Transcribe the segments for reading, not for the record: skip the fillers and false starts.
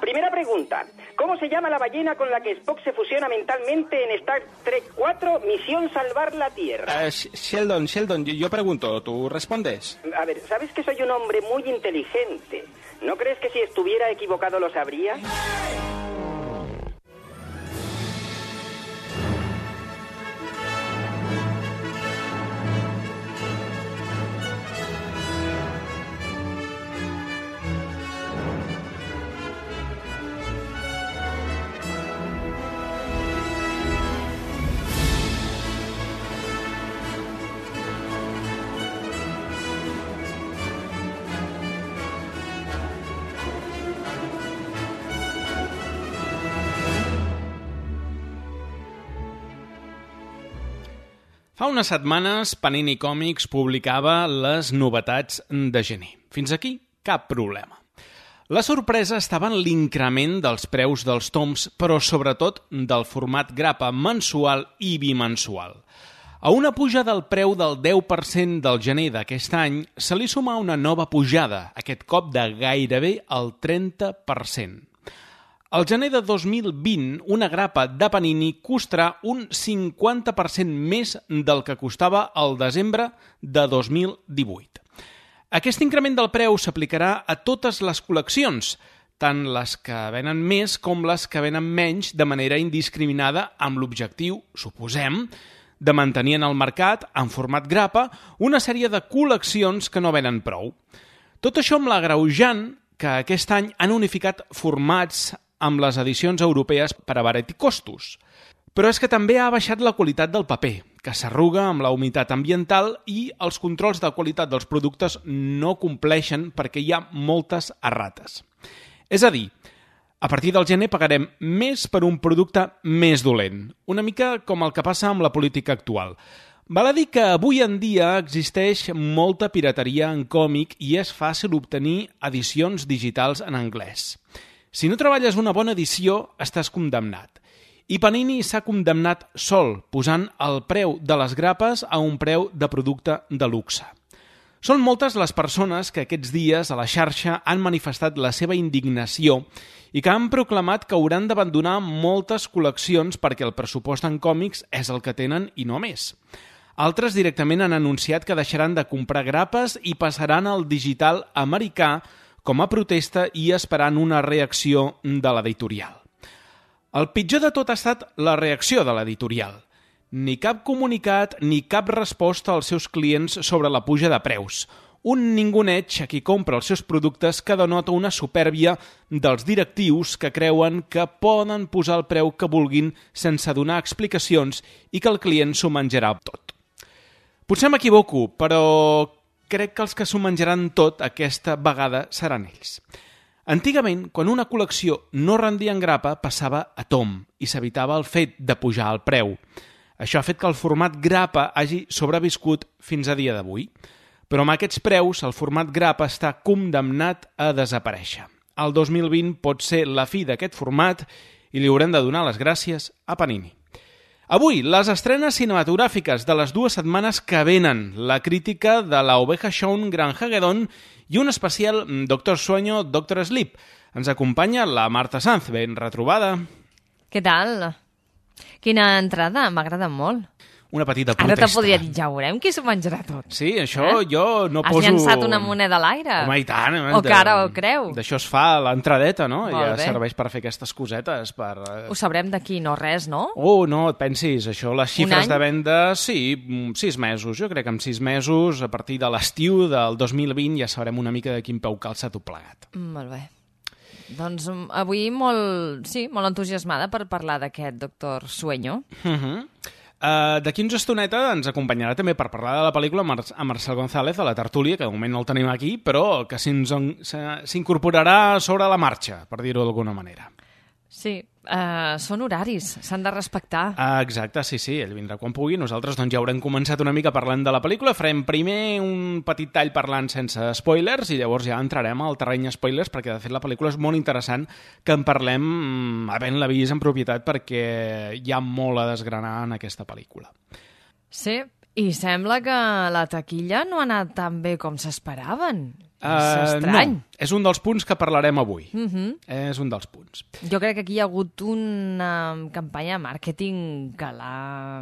Primera pregunta. ¿Cómo se llama la ballena con la que Spock se fusiona mentalmente en Star Trek 4, Misión Salvar la Tierra? Sheldon, yo pregunto, ¿tú respondes? A ver, ¿sabes que soy un hombre muy inteligente? ¿No crees que si estuviera equivocado lo sabría? Fa unes setmanes, Panini Comics publicava les novetats de gener. Fins aquí, cap problema. La sorpresa estava en l'increment dels preus dels toms, però sobretot del format grapa mensual i bimensual. A una puja del preu del 10% del gener d'aquest any se li suma una nova pujada, aquest cop de gairebé el 30%. Al gener de 2020, una grapa de Panini costarà un 50% més del que costava al desembre de 2018. Aquest increment del preu s'aplicarà a totes les col·leccions, tant les que venen més com les que venen menys de manera indiscriminada, amb l'objectiu, suposem, de mantenir en el mercat, en format grapa, una sèrie de col·leccions que no venen prou. Tot això amb l'agreujant que aquest any han unificat formats amb les edicions europees per abaratir costos. Però és que també ha baixat la qualitat del paper, que s'arruga amb la humitat ambiental i els controls de qualitat dels productes no compleixen perquè hi ha moltes errates. És a dir, a partir del gener pagarem més per un producte més dolent, una mica com el que passa amb la política actual. Val a dir que avui en dia existeix molta pirateria en còmic i és fàcil obtenir edicions digitals en anglès. Si no treballes una bona edició, estàs condemnat. I Panini s'ha condemnat sol, posant el preu de les grapes a un preu de producte de luxe. Són moltes les persones que aquests dies a la xarxa han manifestat la seva indignació i que han proclamat que hauran d'abandonar moltes col·leccions perquè el pressupost en còmics és el que tenen i no més. Altres directament han anunciat que deixaran de comprar grapes i passaran al digital americà com a protesta i esperant una reacció de l'editorial. El pitjor de tot ha estat la reacció de l'editorial. Ni cap comunicat ni cap resposta als seus clients sobre la puja de preus. Un ninguneig a qui compra els seus productes que denota una supèrbia dels directius que creuen que poden posar el preu que vulguin sense donar explicacions i que el client s'ho menjarà tot. Potser m'equivoco, però crec que els que s'ho menjaran tot aquesta vegada seran ells. Antigament, quan una col·lecció no rendia en grapa, passava a tom i s'evitava el fet de pujar el preu. Això ha fet que el format grapa hagi sobreviscut fins a dia d'avui. Però amb aquests preus, el format grapa està condemnat a desaparèixer. El 2020 pot ser la fi d'aquest format i li haurem de donar les gràcies a Panini. Avui, les estrenes cinematogràfiques de les 2 setmanes que venen, la crítica de la Oveja Shaun Gran Hagedon i un especial Doctor Sueño, Doctor Sleep. Ens acompanya la Marta Sanz. Ben retrobada. Què tal? Quina entrada, m'ha agradat molt. Una petita protesta. Ara te podria dir, ja veurem qui s'ho menjarà tot. Sí, això jo no poso... Has llançat una moneda a l'aire? Home, i tant. O cara o creu? D'això es fa l'entradeta, no? Molt ja bé. Serveix per fer aquestes cosetes. Ho sabrem d'aquí, no res, no? No et pensis. Això, les xifres de venda, sí, 6 mesos. Jo crec que en 6 mesos, a partir de l'estiu del 2020, ja sabrem una mica de quin peu calça tot plegat. Molt bé. Doncs avui molt entusiasmada per parlar d'aquest Doctor Sueño. D'aquí uns estoneta ens acompanyarà també per parlar de la pel·lícula a Marcel González, a la tertúlia, que de moment no el tenim aquí, però que s'incorporarà sobre la marxa, per dir-ho d'alguna manera. Sí, són horaris, s'han de respectar. Exacte, sí, ell vindrà quan pugui. Nosaltres doncs, ja haurem començat una mica parlant de la pel·lícula. Farem primer un petit tall parlant sense spoilers i llavors ja entrarem al terreny spoilers perquè, de fet, la pel·lícula és molt interessant que en parlem havent-la vist en propietat perquè hi ha molt a desgranar en aquesta pel·lícula. Sí, i sembla que la taquilla no ha anat tan bé com s'esperaven. És estrany. No, és un dels punts que parlarem avui. És un dels punts. Jo crec que aquí hi ha hagut una campanya de màrqueting que l'ha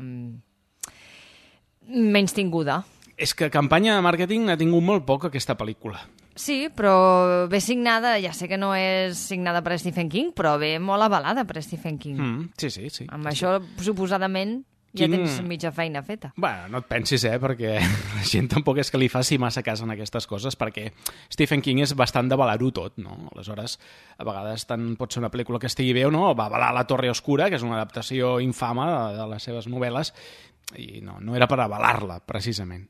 menystinguda. És que campanya de màrqueting n'ha tingut molt poc aquesta pel·lícula. Sí, però ve signada, ja sé que no és signada per Stephen King, però ve molt avalada per Stephen King. Sí. Amb això, suposadament, ja tens mitja feina feta. Bueno, no et pensis, perquè la gent tampoc és que li faci massa cas en aquestes coses, perquè Stephen King és bastant d'avalar-ho tot, no? Aleshores, a vegades tant pot ser una pel·lícula que estigui bé o no, va avalar La Torre Oscura, que és una adaptació infama de les seves novel·les, i no era per avalar-la, precisament.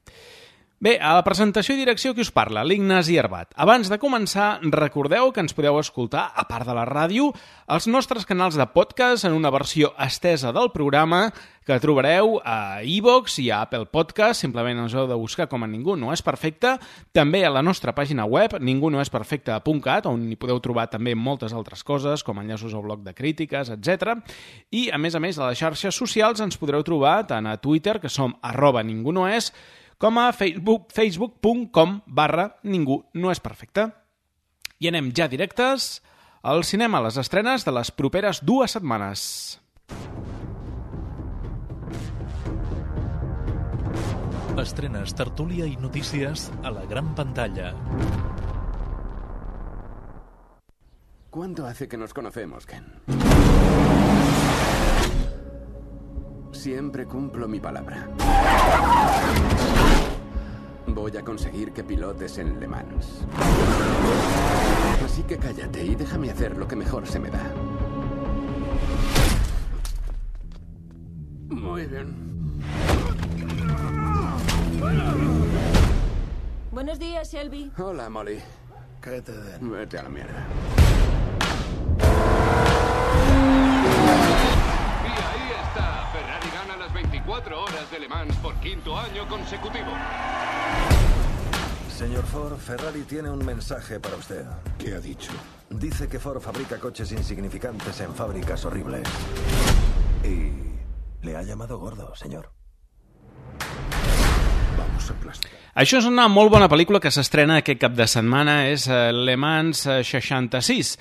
Bé, a la presentació i direcció qui us parla? L'Ignasi Arbat. Abans de començar, recordeu que ens podeu escoltar, a part de la ràdio, als nostres canals de podcast en una versió estesa del programa que trobareu a iVoox i a Apple Podcast, simplement ens heu de buscar com a Ningú no és perfecte, també a la nostra pàgina web, ningunoesperfecte.cat, on hi podeu trobar també moltes altres coses, com enllaços al blog de crítiques, etc. I, a més, a les xarxes socials ens podreu trobar tant a Twitter, que som @ningunoes, com a facebook.com/Ningú no és perfecte. I anem ja directes al cinema, a les estrenes de les properes 2 setmanes. Estrenes, tertúlia i notícies a la gran pantalla. ¿Cuánto hace que nos conocemos, Ken? Siempre cumplo mi palabra. Voy a conseguir que pilotes en Le Mans. Así que cállate y déjame hacer lo que mejor se me da. Muy bien. Buenos días, Shelby. Hola, Molly. ¿Qué te den? Vete a la mierda. Y ahí está. Ferrari gana las 24 horas de Le Mans por 5º año consecutivo. Señor Ford, Ferrari tiene un mensaje para usted. ¿Qué ha dicho? Dice que Ford fabrica coches insignificantes en fábricas horribles. Y le ha llamado gordo, señor. Vamos a aplastar. Això és una molt bona pel·lícula que s'estrena aquest cap de setmana, és Le Mans 66.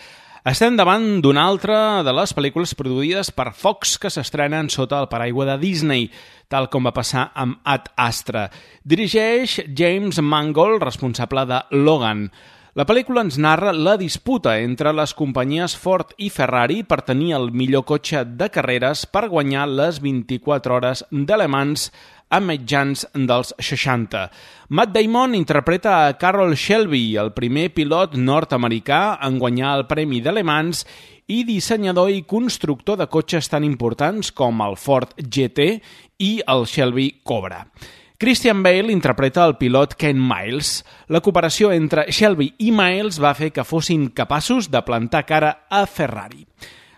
Estem davant d'una altra de les pel·lícules produïdes per Fox que s'estrenen sota el paraigua de Disney, tal com va passar amb Ad Astra. Dirigeix James Mangold, responsable de Logan. La pel·lícula ens narra la disputa entre les companyies Ford i Ferrari per tenir el millor cotxe de carreres per guanyar les 24 hores de Le Mans a mitjans dels 60. Matt Damon interpreta a Carroll Shelby, el primer pilot nord-americà en guanyar el Premi de Le Mans i dissenyador i constructor de cotxes tan importants com el Ford GT i el Shelby Cobra. Christian Bale interpreta el pilot Ken Miles. La cooperació entre Shelby i Miles va fer que fossin capaços de plantar cara a Ferrari.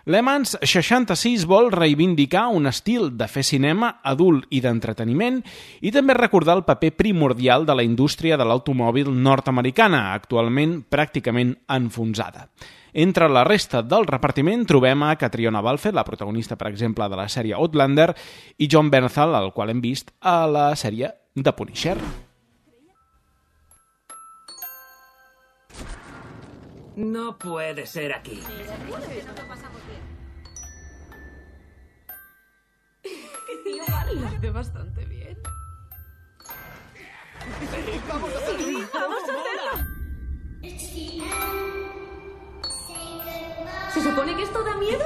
Le Mans 66 vol reivindicar un estil de fer cinema adult i d'entreteniment i també recordar el paper primordial de la indústria de l'automòbil nord-americana, actualment pràcticament enfonsada. Entre la resta del repartiment trobem a Catriona Balfe, la protagonista, per exemple, de la sèrie Outlander, i John Bernthal, el qual hem vist a la sèrie The Punisher. No puede ser aquí. Lo hace bastante bien. ¡Vamos a hacerlo! ¡Vamos a hacerlo! ¿Se supone que esto da miedo?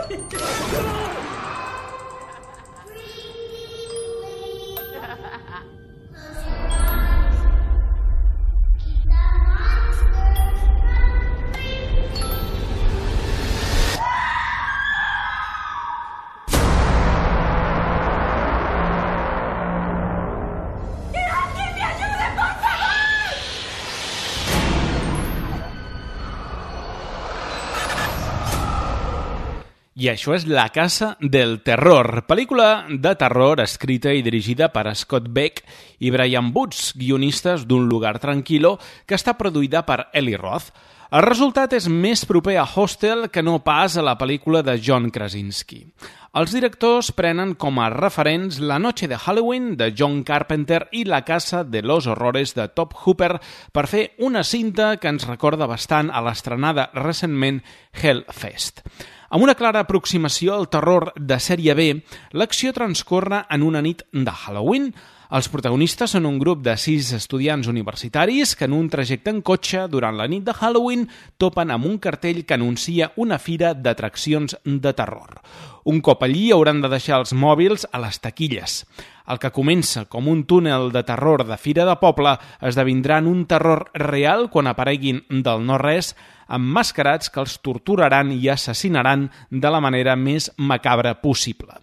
I això és La Casa del Terror, pel·lícula de terror escrita i dirigida per Scott Beck i Brian Boots, guionistes d'Un lugar tranquilo, que està produïda per Eli Roth. El resultat és més proper a Hostel que no pas a la pel·lícula de John Krasinski. Els directors prenen com a referents La noche de Halloween de John Carpenter i La casa de los horrores de Tobe Hooper per fer una cinta que ens recorda bastant a l'estrenada recentment Hellfest. Amb una clara aproximació al terror de sèrie B, l'acció transcorre en una nit de Halloween. Els protagonistes són un grup de 6 estudiants universitaris que en un trajecte en cotxe durant la nit de Halloween topen amb un cartell que anuncia una fira d'atraccions de terror. Un cop allí hauran de deixar els mòbils a les taquilles. El que comença com un túnel de terror de fira de poble esdevindrà en un terror real quan apareguin del no-res emmascarats que els torturaran i assassinaran de la manera més macabra possible.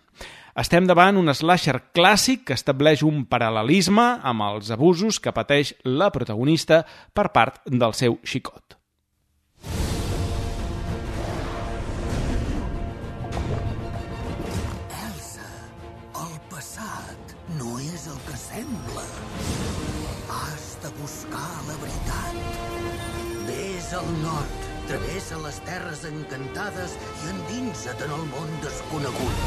Estem davant un slasher clàssic que estableix un paral·lelisme amb els abusos que pateix la protagonista per part del seu xicot. Elsa, el passat no és el que sembla. Has de buscar la veritat. Vés al nord, travessa les terres encantades i endinsa't en el món desconegut.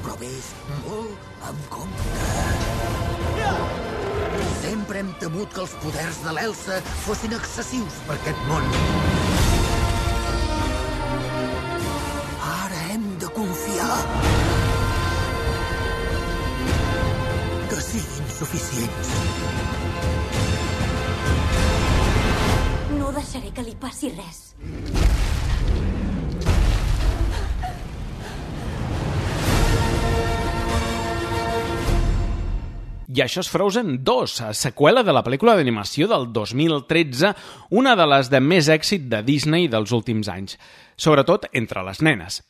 Però vés molt amb compte. Sempre hem temut que els poders de l'Elsa fossin excessius per aquest món. Ara hem de confiar. Que siguin suficients. No deixaré que li passi res. I això és Frozen 2, seqüela de la pel·lícula d'animació del 2013, una de les de més èxit de Disney dels últims anys, sobretot entre les nenes.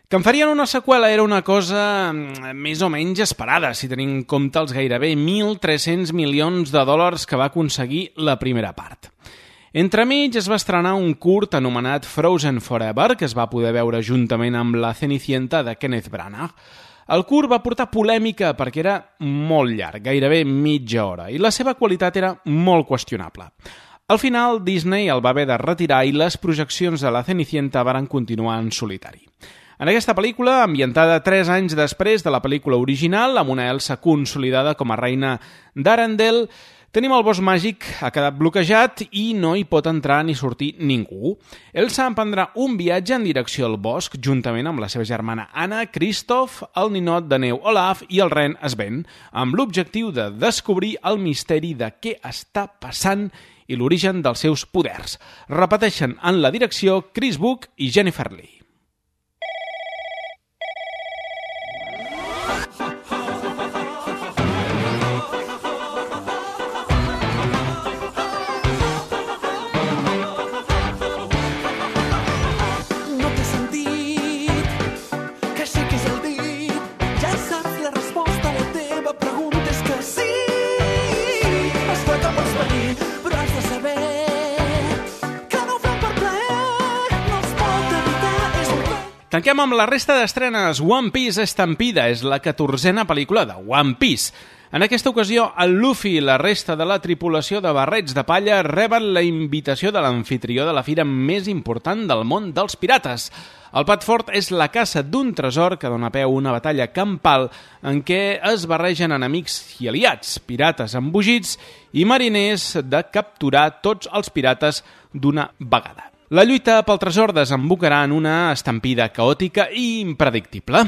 Que en farien una seqüela era una cosa més o menys esperada, si tenim en compte els gairebé 1.300 milions de dòlars que va aconseguir la primera part. Entremig es va estrenar un curt anomenat Frozen Forever, que es va poder veure juntament amb La Cenicienta de Kenneth Branagh. El curt va portar polèmica perquè era molt llarg, gairebé mitja hora, i la seva qualitat era molt qüestionable. Al final, Disney el va haver de retirar i les projeccions de La Cenicienta varen continuar en solitari. En aquesta pel·lícula, ambientada 3 anys després de la pel·lícula original, amb una Elsa consolidada com a reina d'Arendelle, tenim el bosc màgic, ha quedat bloquejat i no hi pot entrar ni sortir ningú. Elsa emprendrà un viatge en direcció al bosc, juntament amb la seva germana Anna, Kristoff, el ninot de neu Olaf i el ren Sven, amb l'objectiu de descobrir el misteri de què està passant i l'origen dels seus poders. Repeteixen en la direcció Chris Book i Jennifer Lee. Tanquem amb la resta d'estrenes. One Piece Estampida és la 14a pel·lícula de One Piece. En aquesta ocasió, el Luffy i la resta de la tripulació de barrets de palla reben la invitació de l'amfitrió de la fira més important del món dels pirates. El plat fort és la caça d'un tresor que dona peu a una batalla campal en què es barregen enemics i aliats, pirates embogits i mariners de capturar tots els pirates d'una vegada. La lluita pel tresor desembocarà en una estampida caòtica i impredictible.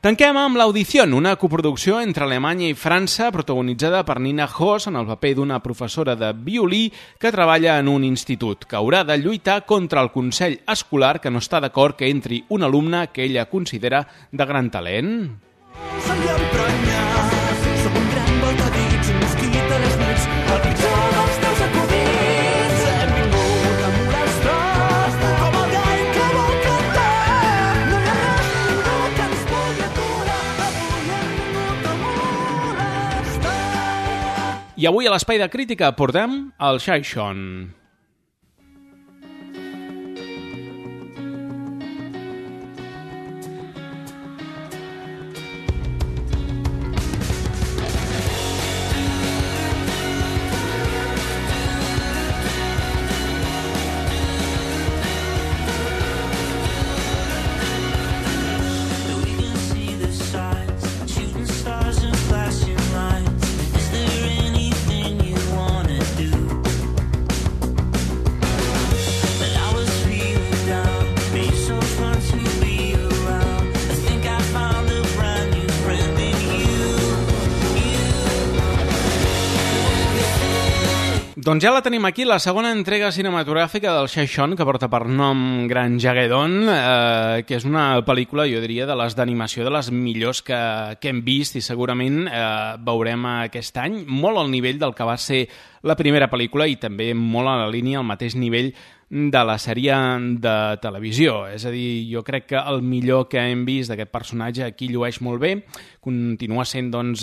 Tanquem amb l'Audició, una coproducció entre Alemanya i França protagonitzada per Nina Hoss en el paper d'una professora de violí que treballa en un institut, que haurà de lluitar contra el consell escolar que no està d'acord que entri un alumne que ella considera de gran talent. Som un gran voltadits, un mosquit a les nits, el pitjor dels teus acudits. Hem vingut a molestar, com el gall que vol cantar. No hi ha res ningú que ens pugui aturar, avui hem vingut a molestar. I avui a l'Espai de Crítica portem el Xaixon. Doncs ja la tenim aquí, la segona entrega cinematogràfica del Shai-Shon, que porta per nom Gran Jagedon, que és una pel·lícula, jo diria, de les d'animació, de les millors que hem vist i segurament veurem aquest any, molt al nivell del que va ser la primera pel·lícula i també molt a la línia, al mateix nivell de la sèrie de televisió. És a dir, jo crec que el millor que hem vist d'aquest personatge aquí llueix molt bé, continua sent doncs,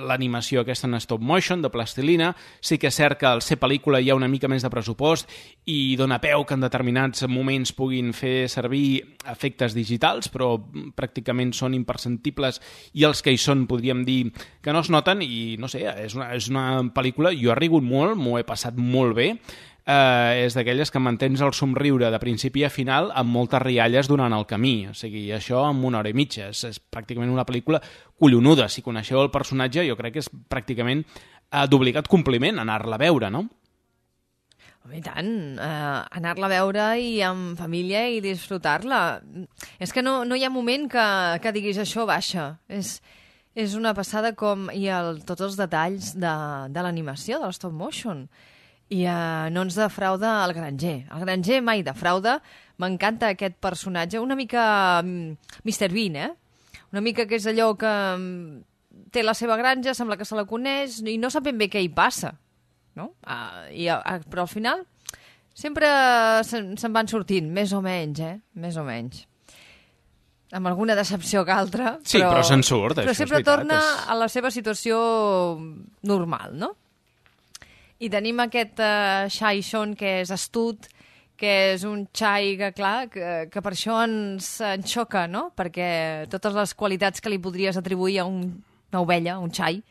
l'animació aquesta en stop motion, de plastilina. Sí que és cert que al ser pel·lícula hi ha una mica més de pressupost i dona peu que en determinats moments puguin fer servir efectes digitals, però pràcticament són imperceptibles i els que hi són podríem dir que no es noten i no sé, és una pel·lícula, jo he rigut molt, m'ho he passat molt bé. És d'aquelles que mantens el somriure de principi a final amb moltes rialles durant el camí, o sigui, això en 1 hora i mitja, és pràcticament una pel·lícula collonuda. Si coneixeu el personatge, jo crec que és pràcticament d'obligat compliment anar-la a veure, no? I tant, anar-la a veure i amb família i disfrutar-la. És que no hi ha moment que diguis això baixa. És una passada com hi ha tots els detalls de l'animació, de l'stop motion. I no ens defrauda el Granger. El Granger mai defrauda. M'encanta aquest personatge, una mica Mr. Bean, Una mica que és allò que té la seva granja, sembla que se la coneix i no sap ben bé què hi passa, no? Però al final sempre se'n van sortint, més o menys, Més o menys. Amb alguna decepció que altra. Sí, però se'n surt, però sempre torna a la seva situació normal, no? I tenim aquest Shai-Shon que és astut, que és un xai que, clar, que per això ens xoca, no? Perquè totes les qualitats que li podries atribuir a una ovella, un xai,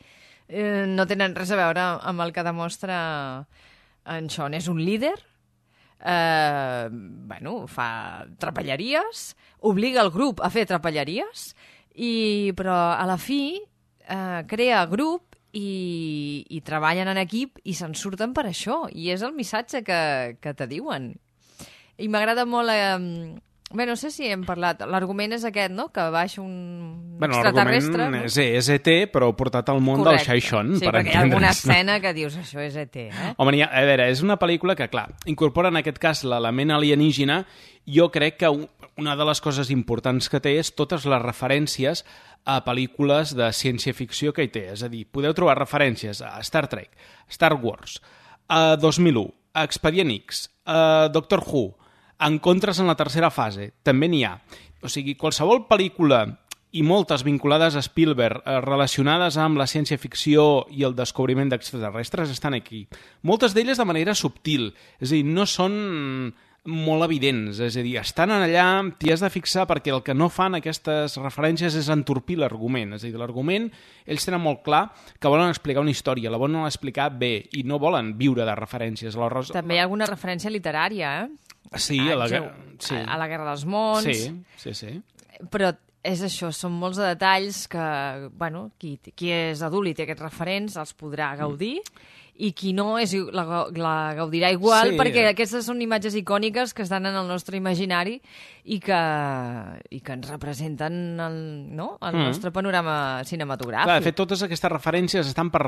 no tenen res a veure amb el que demostra en Shon. És un líder, fa trapelleries, obliga el grup a fer trapelleries, però a la fi crea grup i treballen en equip i se'n surten per això, i és el missatge que te diuen. I m'agrada molt no sé si hem parlat, l'argument és aquest, no? Que baixa un extraterrestre, no? És ET, però portat al món del Shai-Shon. Sí, perquè hi ha alguna escena que dius això és ET, Home, a veure, és una pel·lícula que, clar, incorpora en aquest cas l'element alienígena. Jo crec que una de les coses importants que té és totes les referències a pel·lícules de ciència-ficció que hi té. És a dir, podeu trobar referències a Star Trek, Star Wars, a 2001, a Expedient X, a Doctor Who, Encontres en la tercera fase, també n'hi ha. O sigui, qualsevol pel·lícula i moltes vinculades a Spielberg relacionades amb la ciència-ficció i el descobriment d'extraterrestres estan aquí. Moltes d'elles de manera subtil, és a dir, no són molt evidents, és a dir, estan allà, t'hi has de fixar perquè el que no fan aquestes referències és entorpir l'argument, és a dir, l'argument ells tenen molt clar que volen explicar una història, la volen explicar bé i no volen viure de referències. També hi ha alguna referència literària, Sí, a la Guerra dels Mons. Sí. Però és això, són molts de detalls que, qui és adult i té aquests referents els podrà gaudir i qui no la gaudirà igual, perquè aquestes són imatges icòniques que estan en el nostre imaginari i que ens representen el nostre panorama cinematogràfic. Clar, de fet, totes aquestes referències estan per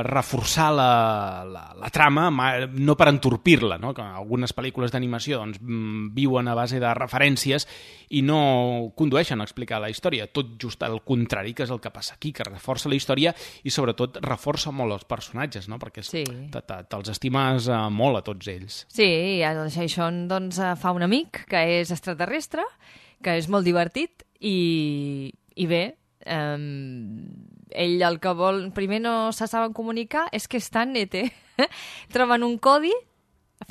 reforçar la trama, no per entorpir-la, no? Que algunes pel·lícules d'animació viuen a base de referències i no condueixen a explicar la història, tot just al contrari, que és el que passa aquí, que reforça la història i sobretot reforça molt els personatges, no? Perquè te'ls estimes molt a tots ells. Sí, el Shai-Shon fa un amic que és extraterrestre, que és molt divertit i bé, ell el que vol, primer no se saben comunicar, és que estan ET. Troben un codi,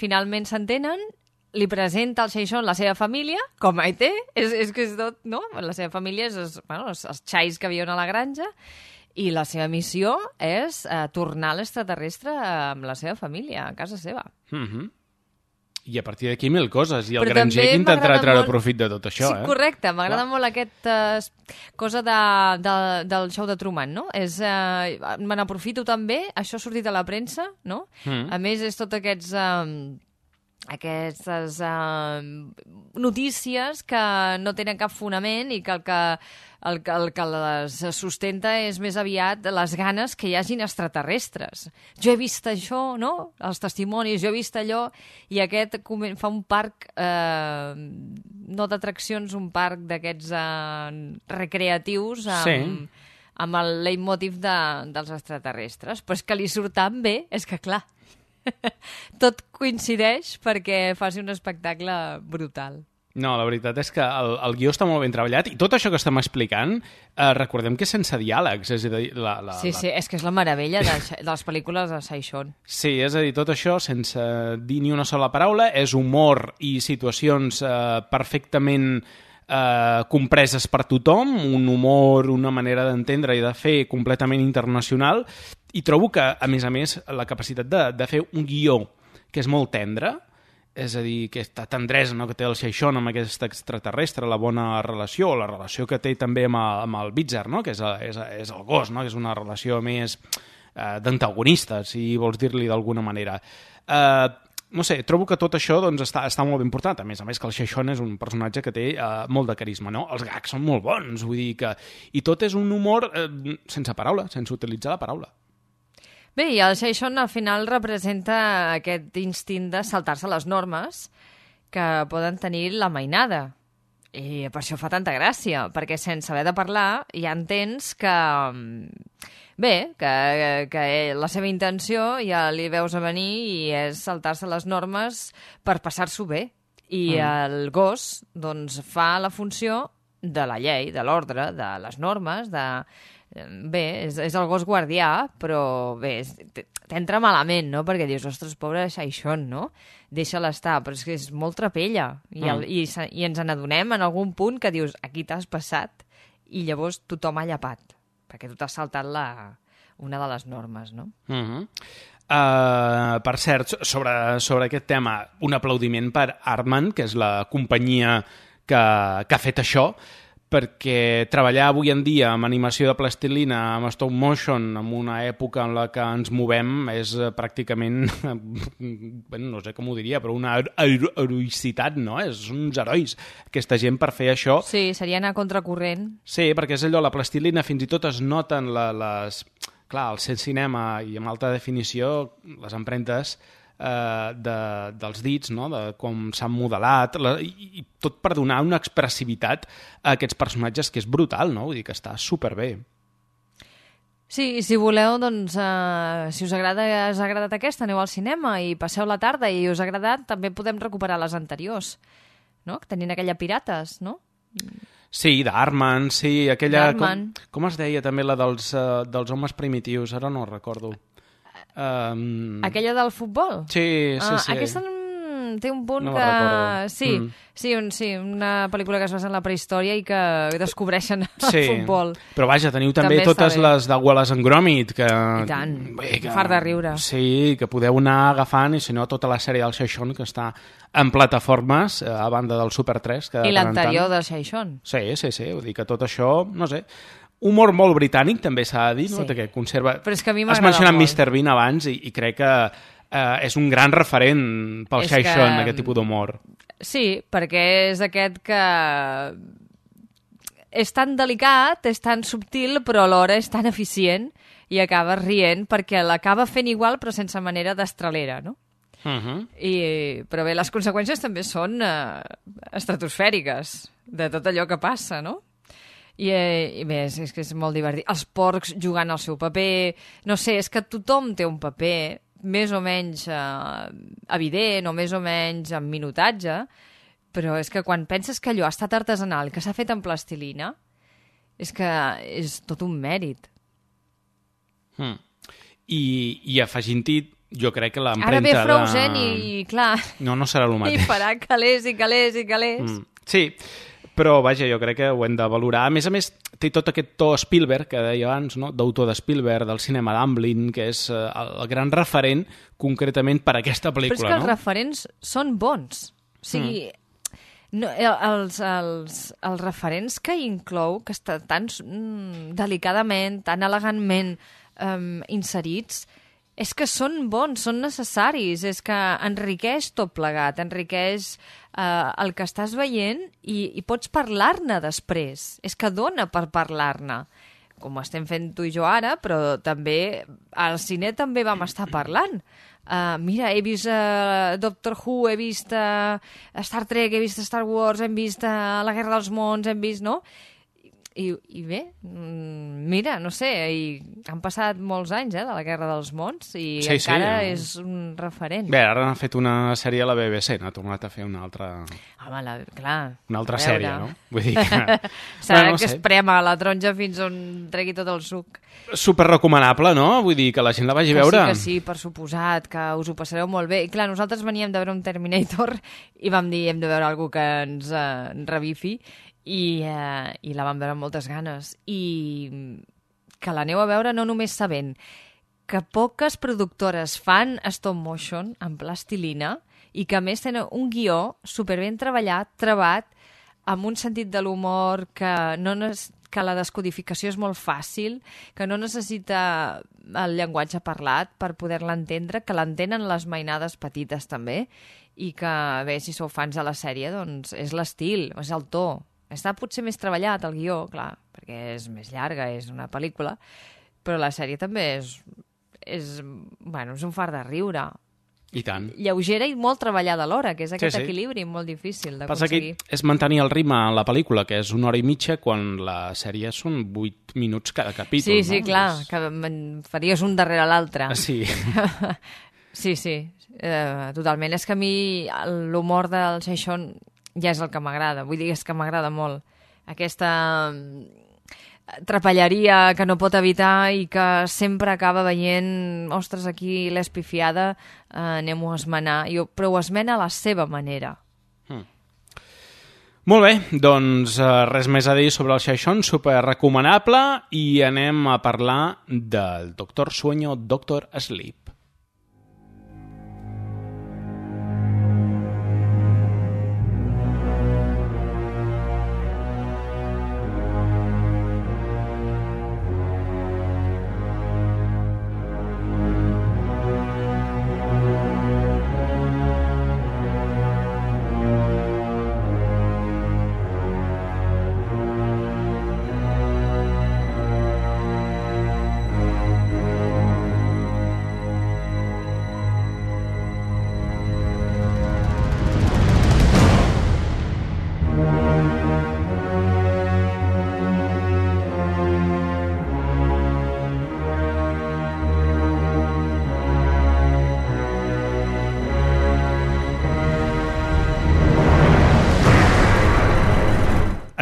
finalment s'entenen, li presenta al Shai-Shon la seva família, com a ET, és que és tot, no? La seva família és els xais que viuen a la granja, i la seva missió és tornar a l'extraterrestre amb la seva família, a casa seva. I a partir d'aquí 1000 coses. I el Granger que intentarà treure profit de tot això. Sí, correcte. M'agrada molt aquesta cosa del show de Truman, no? Me n'aprofito també, això ha sortit a la premsa, no? A més, és tots aquests aquestes notícies que no tenen cap fonament i que el que les sustenta és més aviat les ganes que hi hagin extraterrestres. Jo he vist això, no? Els testimonis, jo he vist allò, i aquest fa un parc, no d'atraccions, un parc d'aquests recreatius amb el leitmotiv dels extraterrestres. Però és que li surt tan bé, és que clar, tot coincideix perquè faci un espectacle brutal. No, la veritat és que el guió està molt ben treballat i tot això que estem explicant, recordem que és sense diàlegs. És a dir, sí, és que és la meravella de les pel·lícules de Saishon. Sí, és a dir, tot això sense dir ni una sola paraula, és humor i situacions perfectament compreses per tothom, un humor, una manera d'entendre i de fer completament internacional, i trobo que, a més, la capacitat de fer un guió que és molt tendre, és a dir, aquesta tendresa, no?, que té el Saishon amb aquest extraterrestre, la bona relació, la relació que té també amb el Bitzer, no?, que és el gos, no?, que és una relació més d'antagonista, si vols dir-li d'alguna manera. No sé, trobo que tot això doncs, està molt ben portat. A més que el Saishon és un personatge que té molt de carisma, no? Els gags són molt bons, vull dir que... I tot és un humor sense paraula, sense utilitzar la paraula. Bé, i el Saishon al final representa aquest instint de saltar-se les normes que poden tenir la mainada. I per això fa tanta gràcia, perquè sense haver de parlar ja entens que... Bé, que la seva intenció ja li veus a venir i és saltar-se les normes per passar-s'ho bé. I el gos doncs, fa la funció de la llei, de l'ordre, de les normes, Bé, és el gos guardià, però bé, t'entra malament, no? Perquè dius, ostres, pobre Saishon, no? Deixa-la estar, però és que és molt trapella. I ens n'adonem en algun punt que dius, aquí t'has passat, i llavors tothom ha llapat, perquè tu t'has saltat una de les normes, no? Per cert, sobre aquest tema, un aplaudiment per Aardman, que és la companyia que ha fet això, perquè treballar avui en dia amb animació de plastilina, amb stop motion, en una època en la que ens movem, és pràcticament, no sé com ho diria, però una heroïcitat, no? Són uns herois, aquesta gent, per fer això. Sí, serien a contracorrent. Sí, perquè és allò, la plastilina, fins i tot es noten clar, al ser cinema i amb alta definició, les empremtes dels dits, no? De com s'han modelat, i tot per donar una expressivitat a aquests personatges que és brutal, no? Vull dir que està superbé. Sí, si voleu, doncs, si us ha agradat aquesta, aneu al cinema i passeu la tarda i us ha agradat, també podem recuperar les anteriors, no? Tenint aquella Pirates, no? Sí, d'Aardman, sí, aquella... D'Aardman. Com es deia també la dels homes primitius? Ara no ho recordo. Aquella del futbol? Sí. Aquesta té un punt no que... Sí, una pel·lícula que es basa en la prehistòria i que descobreixen el futbol. Però vaja, teniu també totes les de Wallace and Gromit, que... I tant, far de riure. Sí, que podeu anar agafant, i si no, tota la sèrie del Saishon, que està en plataformes, a banda del Super 3. I l'anterior del Saishon. Sí, vull dir que tot això, no sé... Humor molt britànic, també s'ha de dir, no? Que conserva... Però és que a mi m'agrada molt. Has mencionat Mr. Bean abans i crec que és un gran referent pel Saishon, aquest tipus d'humor. Sí, perquè és aquest que és tan delicat, és tan subtil, però alhora és tan eficient i acabes rient perquè l'acaba fent igual però sense manera d'estralera, no? Però bé, les conseqüències també són estratosfèriques de tot allò que passa, no? I bé, és que és molt divertit. Els porcs jugant el seu paper, no sé, és que tothom té un paper més o menys evident o més o menys amb minutatge, però és que quan penses que allò ha estat artesanal, que s'ha fet en plastilina, és que és tot un mèrit. I afegint-hi, jo crec que l'empremta... Ara ve Frozen i clar... No serà el mateix. I farà calés i calés i calés. Sí, però vaja, jo crec que ho hem de valorar. A més, té tot aquest to Spielberg, que deia abans, no? D'autor de Spielberg, del cinema d'Amblin, que és el gran referent concretament per a aquesta pel·lícula. Però és que els referents són bons. O sigui, els referents que inclou, que estan tan delicadament, tan elegantment inserits, És que són bons, són necessaris, és que enriqueix tot plegat, enriqueix el que estàs veient i pots parlar-ne després. És que dona per parlar-ne, com estem fent tu i jo ara, però també al cine també vam estar parlant. Mira, he vist Doctor Who, he vist Star Trek, he vist Star Wars, hem vist La Guerra dels Mons, hem vist, no? I bé, mira, no sé, han passat molts anys de la Guerra dels Mons i encara és un referent. Bé, ara han fet una sèrie a la BBC, n'ha tornat a fer una altra... Home, clar. Una altra sèrie, no? Vull dir que... Serà que es prema la taronja fins on tregui tot el suc. Super recomanable, no? Vull dir que la gent la vagi a veure. Que sí, per suposat, que us ho passareu molt bé. I clar, nosaltres veníem de veure un Terminator i vam dir hem de veure alguna que ens revifi i la vam veure amb moltes ganes. I que l'aneu a veure no només sabent que poques productores fan stop motion en plastilina i que a més tenen un guió superben treballat, trebat, amb un sentit de l'humor que la descodificació és molt fàcil, que no necessita el llenguatge parlat per poder-la entendre, que l'entenen les mainades petites també, i que, bé, si sou fans de la sèrie, doncs és l'estil, és el to. Està potser més treballat el guió, clar, perquè és més llarga, és una pel·lícula, però la sèrie també és un fart de riure. I tant. Lleugera i molt treballada alhora, que és aquest equilibri molt difícil d'aconseguir. Passa que és mantenir el ritme en la pel·lícula, que és 1 hora i mitja, quan la sèrie són 8 minuts cada capítol. Sí, no? Clar, que faries un darrere l'altre. Sí. Sí, totalment. És que a mi l'humor del Seixón ja és el que m'agrada, vull dir, és que m'agrada molt. Aquesta trapelleria que no pot evitar i que sempre acaba veient, ostres, aquí l'he espifiada, anem-ho a esmenar, però ho esmena a la seva manera. Molt bé, doncs res més a dir sobre el Seixón, super recomanable, i anem a parlar del Doctor Sueño, Doctor Sleep.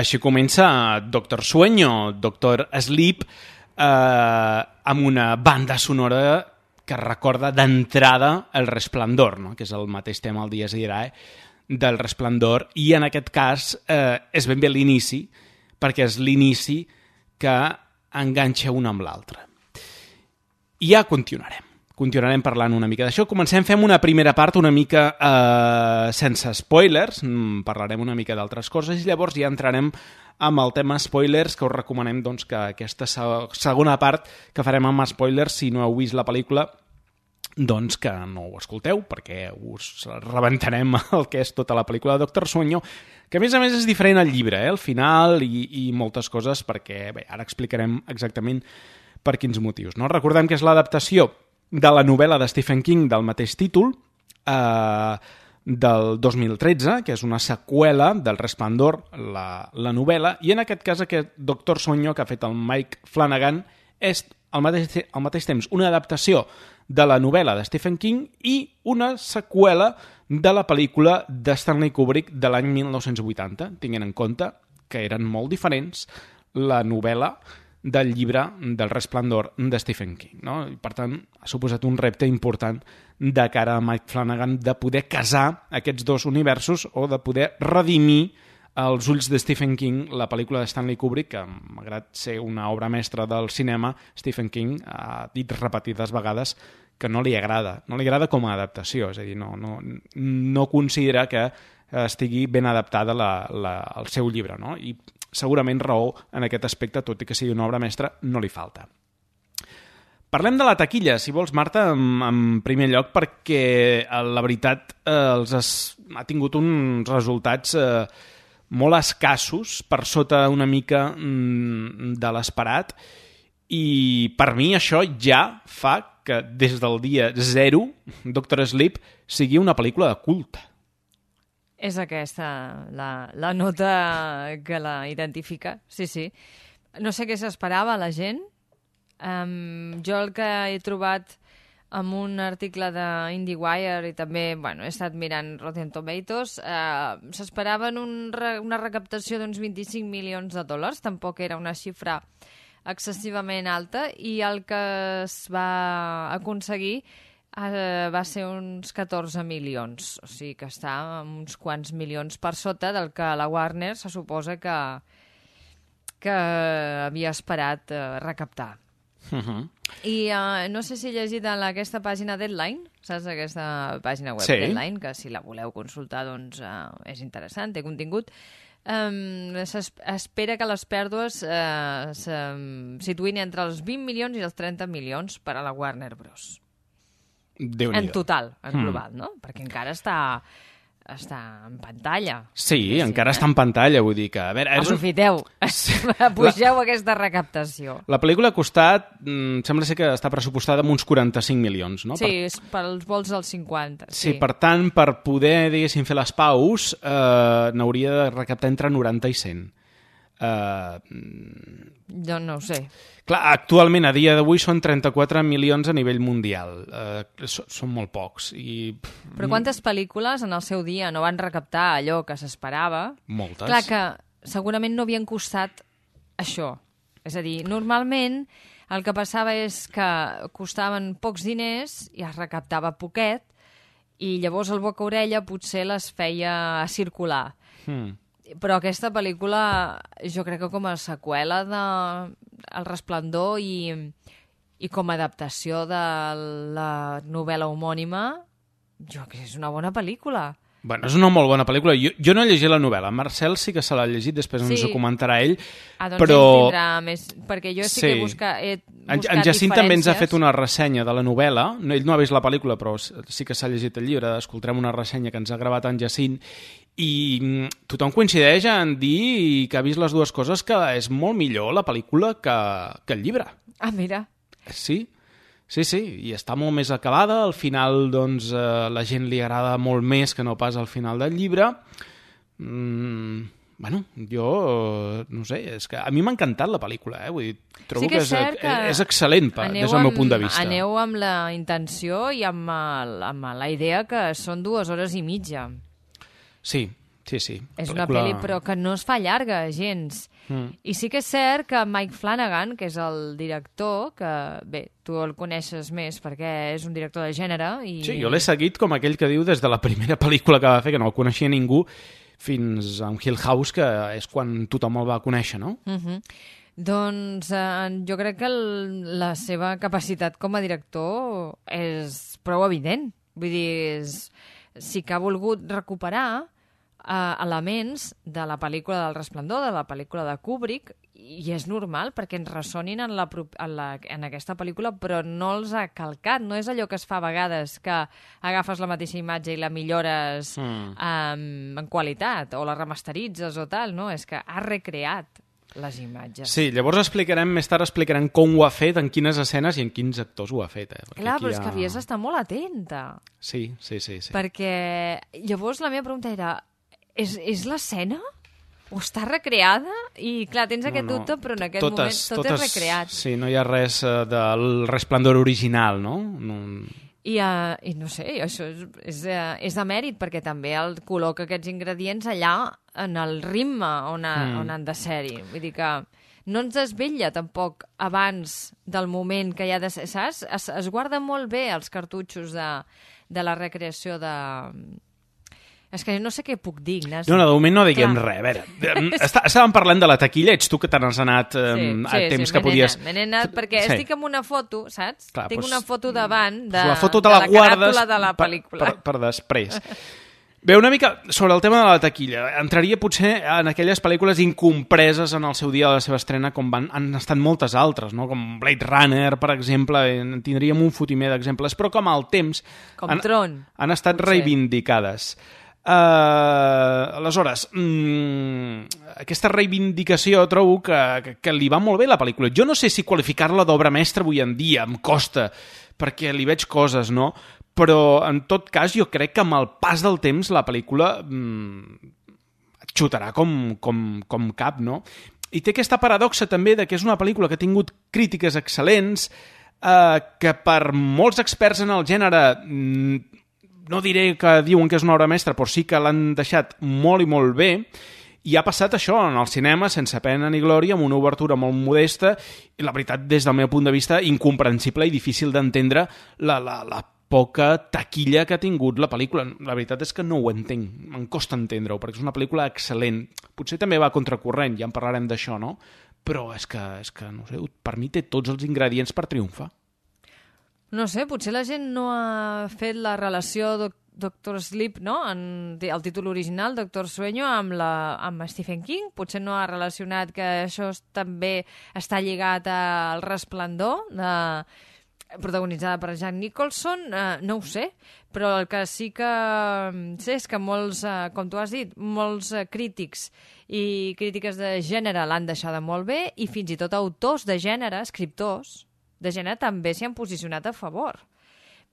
Així comença Doctor Sueño, Doctor Sleep, amb una banda sonora que recorda d'entrada El Resplendor, no? Que és el mateix tema, el Dies Irae, del Resplendor, i en aquest cas és ben bé l'inici, perquè és l'inici que enganxa un amb l'altre. I ja continuarem parlant una mica d'això. Fem una primera part una mica sense spoilers, parlarem una mica d'altres coses i llavors ja entrarem amb el tema spoilers, que us recomanem doncs, que aquesta segona part que farem amb spoilers, si no heu vist la pel·lícula, doncs que no ho escolteu, perquè us rebentarem el que és tota la pel·lícula de Doctor Sueño, que a més és diferent al llibre, al final, i moltes coses, perquè bé, ara explicarem exactament per quins motius. No? Recordem que és l'adaptació de la novel·la de Stephen King del mateix títol, del 2013, que és una seqüela del Resplendor, la novel·la, i en aquest cas aquest Doctor Sueño que ha fet el Mike Flanagan és al mateix temps una adaptació de la novel·la de Stephen King i una seqüela de la pel·lícula de Stanley Kubrick de l'any 1980, tinguent en compte que eren molt diferents la novel·la del llibre del Resplendor de Stephen King. No? I, per tant, ha suposat un repte important de cara a Mike Flanagan de poder casar aquests dos universos o de poder redimir als ulls de Stephen King la pel·lícula de Stanley Kubrick, que malgrat ser una obra mestra del cinema, Stephen King ha dit repetides vegades que no li agrada com a adaptació, és a dir, no considera que estigui ben adaptada el seu llibre, no? I segurament raó en aquest aspecte, tot i que sigui una obra mestra, no li falta. Parlem de la taquilla, si vols, Marta, en primer lloc, perquè la veritat ha tingut uns resultats molt escassos, per sota una mica de l'esperat, i per mi això ja fa que des del dia 0 Doctor Sleep sigui una pel·lícula de culte. És aquesta la nota que la identifica, sí. No sé què s'esperava la gent. Jo el que he trobat en un article d'IndieWire i també he estat mirant Rotten Tomatoes, s'esperaven una recaptació d'uns 25 milions de dòlars, tampoc era una xifra excessivament alta, i el que es va aconseguir va ser uns 14 milions, o sigui que està uns quants milions per sota del que la Warner se suposa que havia esperat recaptar. I no sé si he llegit en aquesta pàgina Deadline, saps, aquesta pàgina web Deadline, que si la voleu consultar doncs és interessant, té contingut. S'espera que les pèrdues se situïn entre els 20 milions i els 30 milions per a la Warner Bros. En total, en global, no? Perquè encara està en pantalla. Sí, encara està en pantalla, vull dir que... A veure, aprofiteu, pugeu aquesta recaptació. La pel·lícula ha costat, sembla ser que està pressupostada amb uns 45 milions, no? Sí, pels vols dels 50. Sí, per tant, per poder, diguéssim, fer les paus, n'hauria de recaptar entre 90 i 100. Jo no ho sé. Clar, actualment, a dia d'avui, són 34 milions a nivell mundial. Són molt pocs. Però quantes pel·lícules en el seu dia no van recaptar allò que s'esperava? Moltes. Clar que segurament no havien costat això. És a dir, normalment el que passava és que costaven pocs diners i es recaptava poquet i llavors el boca-orella potser les feia circular. Però aquesta pel·lícula, jo crec que com a seqüela de El Resplendor i com a adaptació de la novel·la homònima, jo crec que és una bona pel·lícula. Bueno, és una molt bona pel·lícula. Jo no he llegit la novel·la. Marcel sí que se l'ha llegit, després ens ho comentarà ell. Doncs però... ell tindrà més... Perquè jo sí que he buscat en Jacint també ens ha fet una ressenya de la novel·la. Ell no ha vist la pel·lícula, però sí que s'ha llegit el llibre. Escoltarem una ressenya que ens ha gravat en Jacint. I tothom coincideix en dir que ha vist les dues coses, que és molt millor la pel·lícula que el llibre. Ah, mira. Sí, i està molt més acabada. Al final, doncs, la gent li agrada molt més que no pas al final del llibre. Bueno, jo no sé, és que a mi m'ha encantat la pel·lícula, vull dir, trobo que és excel·lent des del meu punt de vista. Aneu amb la intenció i amb la idea que són 2 hores i mitja. Sí. És una pel·li, però que no es fa llarga, gens. I sí que és cert que Mike Flanagan, que és el director, que, bé, tu el coneixes més perquè és un director de gènere. Sí, jo l'he seguit com aquell que diu des de la primera pel·lícula que va fer, que no el coneixia ningú, fins a Hill House, que és quan tothom el va conèixer, no? Doncs jo crec que la seva capacitat com a director és prou evident. Vull dir, sí que ha volgut recuperar elements de la pel·lícula del Resplendor, de la pel·lícula de Kubrick, i és normal perquè ens ressonin en aquesta pel·lícula, però no els ha calcat. No és allò que es fa a vegades, que agafes la mateixa imatge i la millores en qualitat, o la remasteritzes o tal, no? És que ha recreat les imatges. Sí, llavors més tard explicarem com ho ha fet, en quines escenes i en quins actors ho ha fet. Clar, però és que havies d'estar molt atenta. Sí. Perquè llavors la meva pregunta era, és l'escena? O està recreada? I clar, tens aquest dubte, però en aquest moment tot és recreat. Sí, no hi ha res del Resplendor original, no? I no sé, això és de mèrit, perquè també el col·loca aquests ingredients allà en el ritme on han de ser-hi. Vull dir que no ens desvetlla tampoc abans del moment que hi ha de ser, saps? Es guarda molt bé els cartutxos de la recreació de... És que no sé què puc dir, Ignasi. No, de moment no diguem res. A veure, estàvem parlant de la taquilla, ets tu que te n'has anat a temps que podies... Me n'he anat perquè estic amb una foto, saps? Tinc una foto davant la foto te la caràtula de la pel·lícula. Per després. Bé, una mica sobre el tema de la taquilla. Entraria potser en aquelles pel·lícules incompreses en el seu dia de la seva estrena, com han estat moltes altres, no? Com Blade Runner, per exemple, tindríem un fotimer d'exemples, però com al temps Tron, han estat reivindicades. Aleshores, aquesta reivindicació trobo que li va molt bé la pel·lícula. Jo no sé si qualificar-la d'obra mestra avui en dia, em costa, perquè li veig coses, no? Però en tot cas jo crec que amb el pas del temps la pel·lícula xutarà com cap, no? I té aquesta paradoxa també de que és una pel·lícula que ha tingut crítiques excel·lents, que per molts experts en el gènere no diré que diuen que és una obra mestra, però sí que l'han deixat molt i molt bé, i ha passat això en el cinema sense pena ni glòria, amb una obertura molt modesta i la veritat, des del meu punt de vista, incomprensible i difícil d'entendre la poca taquilla que ha tingut la pel·lícula. La veritat és que no ho entenc, em costa entendre-ho, perquè és una pel·lícula excel·lent. Potser també va a contracorrent, ja en parlarem d'això, no? Però és que no sé, per mi té tots els ingredients per triomfar. No sé, potser la gent no ha fet la relació Doctor Sleep, no? El títol original, Doctor Sueño, amb Stephen King. Potser no ha relacionat que això també està lligat al Resplendor, protagonitzada per Jack Nicholson, no ho sé, però el que sí que sé és que molts, com tu has dit, molts crítics i crítiques de gènere l'han deixada molt bé i fins i tot autors de gènere, escriptors de gènere, també s'hi han posicionat a favor.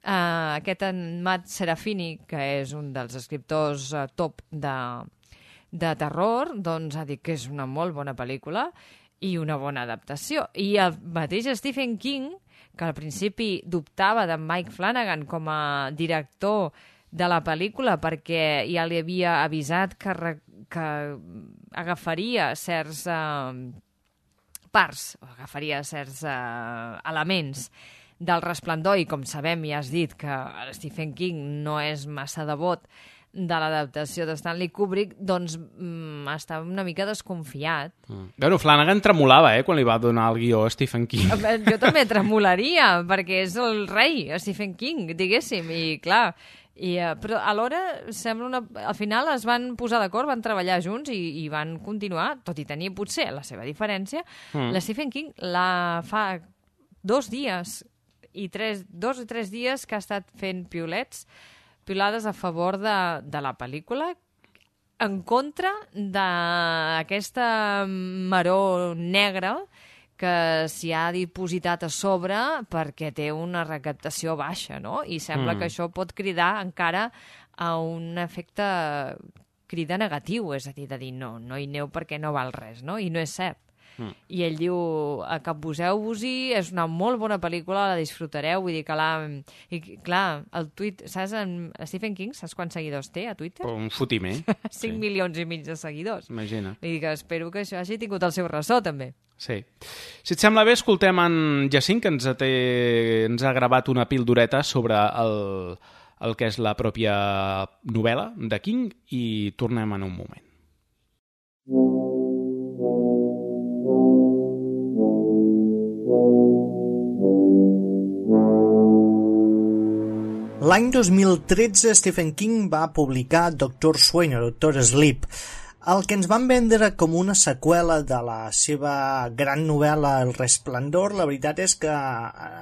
Aquest en Matt Serafini, que és un dels escriptors top de terror, doncs ha dit que és una molt bona pel·lícula i una bona adaptació. I el mateix Stephen King, que al principi dubtava de Mike Flanagan com a director de la pel·lícula perquè ja li havia avisat que agafaria certs parts, agafaria certs elements del Resplendor, i com sabem i has dit que Stephen King no és massa devot de l'adaptació de Stanley Kubrick, doncs estava una mica desconfiat. Bueno, Flanagan tremolava, quan li va donar el guió a Stephen King. Jo també tremolaria, perquè és el rei, Stephen King, diguéssim, i clar... però alhora sembla al final es van posar d'acord, van treballar junts i van continuar, tot i tenir potser la seva diferència. La Stephen King la fa 2 dies i 3 dies que ha estat fent piulades a favor de la pel·lícula, en contra d'aquesta maror negra que s'hi ha dipositat a sobre perquè té una recaptació baixa, no? I sembla que això pot cridar encara a un efecte crida negatiu, és a dir, de dir no hi aneu perquè no val res, no? I no és cert. I ell diu, capbuseu-vos-hi, és una molt bona pel·lícula, la disfrutareu, vull dir que I clar, el tuit, saps, Stephen King, saps quants seguidors té a Twitter? Un fotimer. 5 milions i mig de seguidors. Imagina. Vull dir que espero que això hagi tingut el seu ressò, també. Sí. Si et sembla bé, escoltem en Jacint, que ens ha gravat una pildoreta sobre el que és la pròpia novel·la de King, i tornem en un moment. L'any 2013 Stephen King va publicar Doctor Sueño, Doctor Sleep, el que ens van vendre com una seqüela de la seva gran novel·la El Resplendor. La veritat és que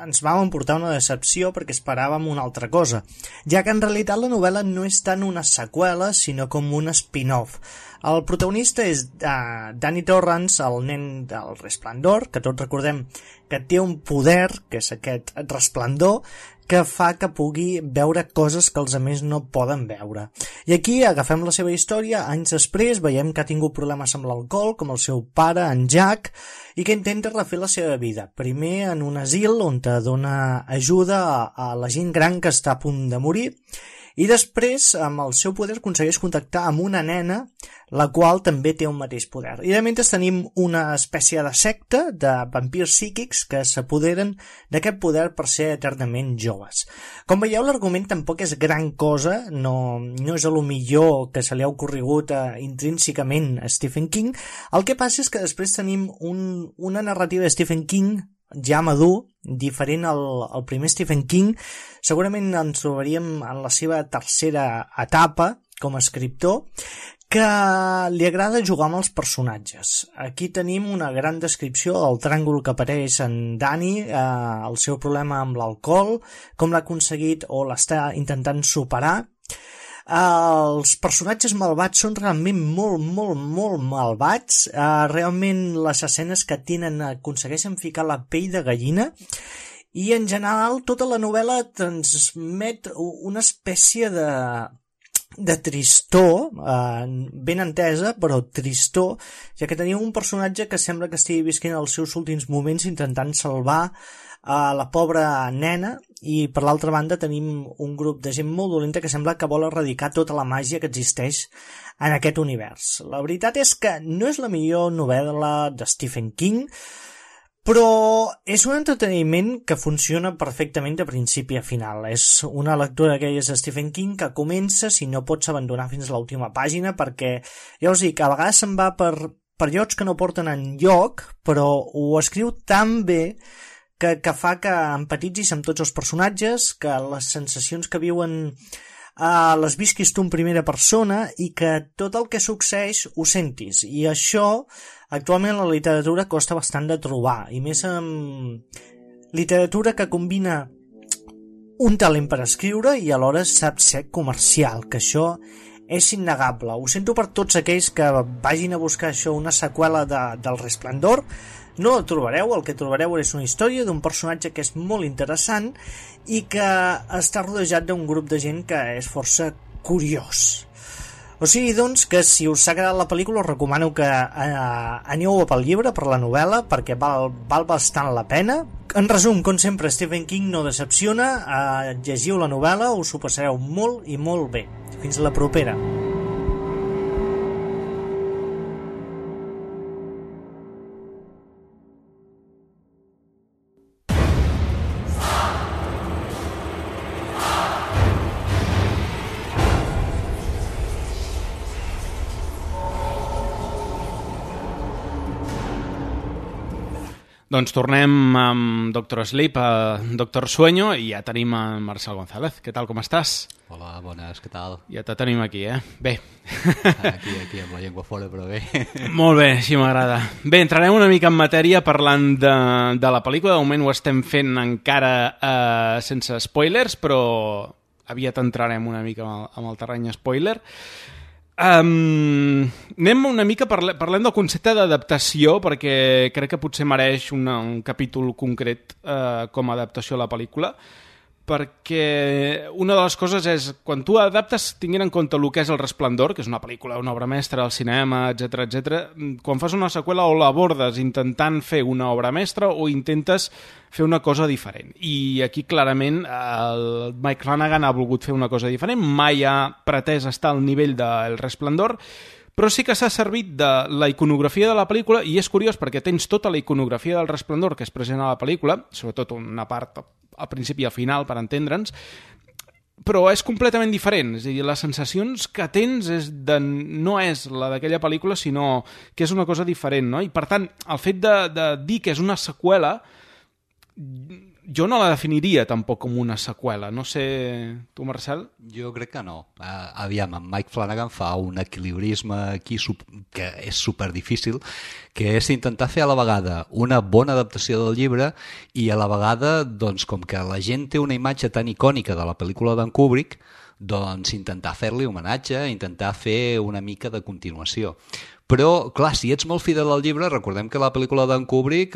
ens vam emportar una decepció perquè esperàvem una altra cosa, ja que en realitat la novel·la no és tant una seqüela sinó com un spin-off. El protagonista és Danny Torrance, el nen del Resplendor, que tots recordem que té un poder, que és aquest resplendor, que fa que pugui veure coses que els altres no poden veure. I aquí agafem la seva història, anys després veiem que ha tingut problemes amb l'alcohol, com el seu pare, en Jack, i que intenta refer la seva vida. Primer en un asil on te dona ajuda a la gent gran que està a punt de morir, i després, amb el seu poder, aconsegueix contactar amb una nena, la qual també té un mateix poder. I de mentre tenim una espècie de secta de vampirs psíquics que s'apoderen d'aquest poder per ser eternament joves. Com veieu, l'argument tampoc és gran cosa, no és a lo millor que se li ha ocorregut intrínsecament a Stephen King. El que passa és que després tenim una narrativa de Stephen King ja madur, diferent al primer Stephen King. Segurament ens trobaríem en la seva tercera etapa, com a escriptor, que li agrada jugar amb els personatges. Aquí tenim una gran descripció del tràngol que apareix en Danny, el seu problema amb l'alcohol, com l'ha aconseguit o l'està intentant superar. Els personatges malvats són realment molt malvats. Realment les escenes que tenen aconsegueixen ficar la pell de gallina, i en general tota la novel·la transmet una espècie de tristor, ben entesa, però tristor, ja que tenim un personatge que sembla que estigui visquent els seus últims moments intentant salvar la pobra nena, i per l'altra banda tenim un grup de gent molt dolenta que sembla que vol erradicar tota la màgia que existeix en aquest univers. La veritat és que no és la millor novel·la de Stephen King, però és un entreteniment que funciona perfectament de principi a final. És una lectura d'aquelles de Stephen King que comença si no pots abandonar fins a l'última pàgina, perquè, ja us dic, a vegades se'n va per llocs que no porten enlloc, però ho escriu tan bé que fa que empatitzis amb tots els personatges, que les sensacions que viuen les visquis tu en primera persona i que tot el que succeeix ho sentis. I això actualment la literatura costa bastant de trobar, i més amb literatura que combina un talent per escriure i alhora sap ser comercial, que això és innegable. Ho sento per tots aquells que vagin a buscar això, una seqüela del Resplendor. No la trobareu, el que trobareu és una història d'un personatge que és molt interessant i que està rodejat d'un grup de gent que és força curiós. O sigui, doncs, que si us ha agradat la pel·lícula us recomano que aneu pel llibre, per la novel·la, perquè val bastant la pena. En resum, com sempre, Stephen King no decepciona, llegiu la novel·la, us ho passareu molt i molt bé. Fins la propera. Doncs tornem amb Doctor Sleep, Doctor Sueño, i ja tenim en Marcel González. Què tal, com estàs? Hola, bones, què tal? Ja te tenim aquí, Bé. Aquí amb la llengua fora, però bé. Molt bé, així m'agrada. Bé, entrarem una mica en matèria parlant de la pel·lícula. De moment ho estem fent encara sense spoilers, però aviat entrarem una mica amb el terreny spoiler. Anem una mica, parlem del concepte d'adaptació, perquè crec que potser mereix un capítol concret com a adaptació a la pel·lícula, perquè una de les coses és, quan tu adaptes tinguent en compte el que és El Resplendor, que és una pel·lícula, una obra mestra al cinema, etc, quan fas una seqüela o l'abordes intentant fer una obra mestra o intentes fer una cosa diferent. I aquí clarament el Mike Flanagan ha volgut fer una cosa diferent, mai ha pretès estar al nivell del Resplendor, però sí que s'ha servit de la iconografia de la pel·lícula, i és curiós perquè tens tota la iconografia del Resplendor que és present a la pel·lícula, sobretot una part al principi i al final, per entendre'ns, però és completament diferent. És a dir, les sensacions que tens no és la d'aquella pel·lícula, sinó que és una cosa diferent, no? I per tant, el fet de dir que és una seqüela, jo no la definiria tampoc com una seqüela. No sé, tu, Marcel? Jo crec que no. Aviam, en Mike Flanagan fa un equilibrisme aquí que és superdifícil, que és intentar fer a la vegada una bona adaptació del llibre i a la vegada, doncs, com que la gent té una imatge tan icònica de la pel·lícula d'en Kubrick, doncs intentar fer-li homenatge, intentar fer una mica de continuació. Però, clar, si ets molt fidel al llibre, recordem que la pel·lícula d'en Kubrick,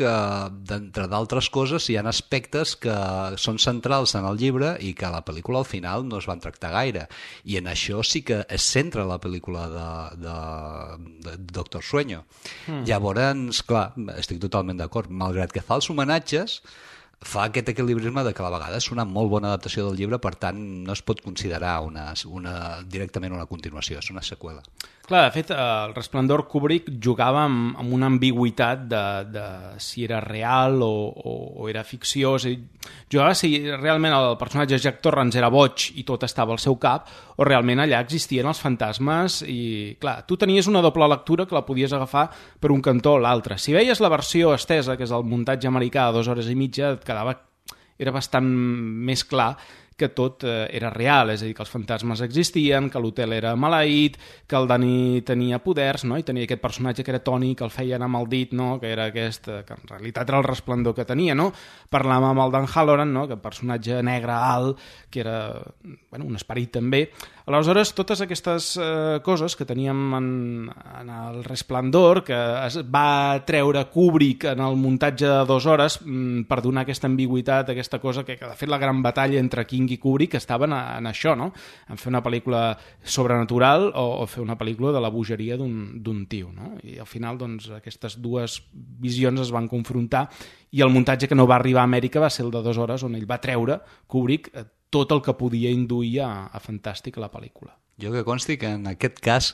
d'entre d'altres coses, hi ha aspectes que són centrals en el llibre i que a la pel·lícula al final no es van tractar gaire. I en això sí que es centra la pel·lícula de Doctor Sueño. Llavors, clar, estic totalment d'acord. Malgrat que fa els homenatges, fa aquest equilibrisme de que a la vegada és una molt bona adaptació del llibre, per tant no es pot considerar directament una continuació, és una seqüela. Clar, de fet, el Resplendor Kubrick jugava amb una ambigüitat de si era real o era ficció. És a dir, jugava si realment el personatge Jack Torrance era boig i tot estava al seu cap, o realment allà existien els fantasmes. I clar, tu tenies una doble lectura que la podies agafar per un cantó o l'altre. Si veies la versió estesa, que és el muntatge americà de 2 hores i mitja, era bastant més clar que tot era real, és a dir, que els fantasmes existien, que l'hotel era maleït, que el Dani tenia poders, no? I tenia aquest personatge que era Tony, que el feia anar amb el dit, no? Que era aquest, que en realitat era el resplendor que tenia, no? Parlàvem amb el Dan Halloran, no? Que personatge negre, alt, que era un esperit també. Aleshores, totes aquestes coses que teníem en el Resplendor, que es va treure Kubrick en el muntatge de 2 hores per donar aquesta ambigüitat, aquesta cosa que de fet la gran batalla entre King i Kubrick estava en això, no? En fer una pel·lícula sobrenatural o fer una pel·lícula de la bogeria d'un tio, no? I al final, doncs, aquestes dues visions es van confrontar i el muntatge que no va arribar a Amèrica va ser el de 2 hores, on ell va treure, Kubrick, tot el que podia induir a fantàstic a la pel·lícula. Jo que consti que en aquest cas,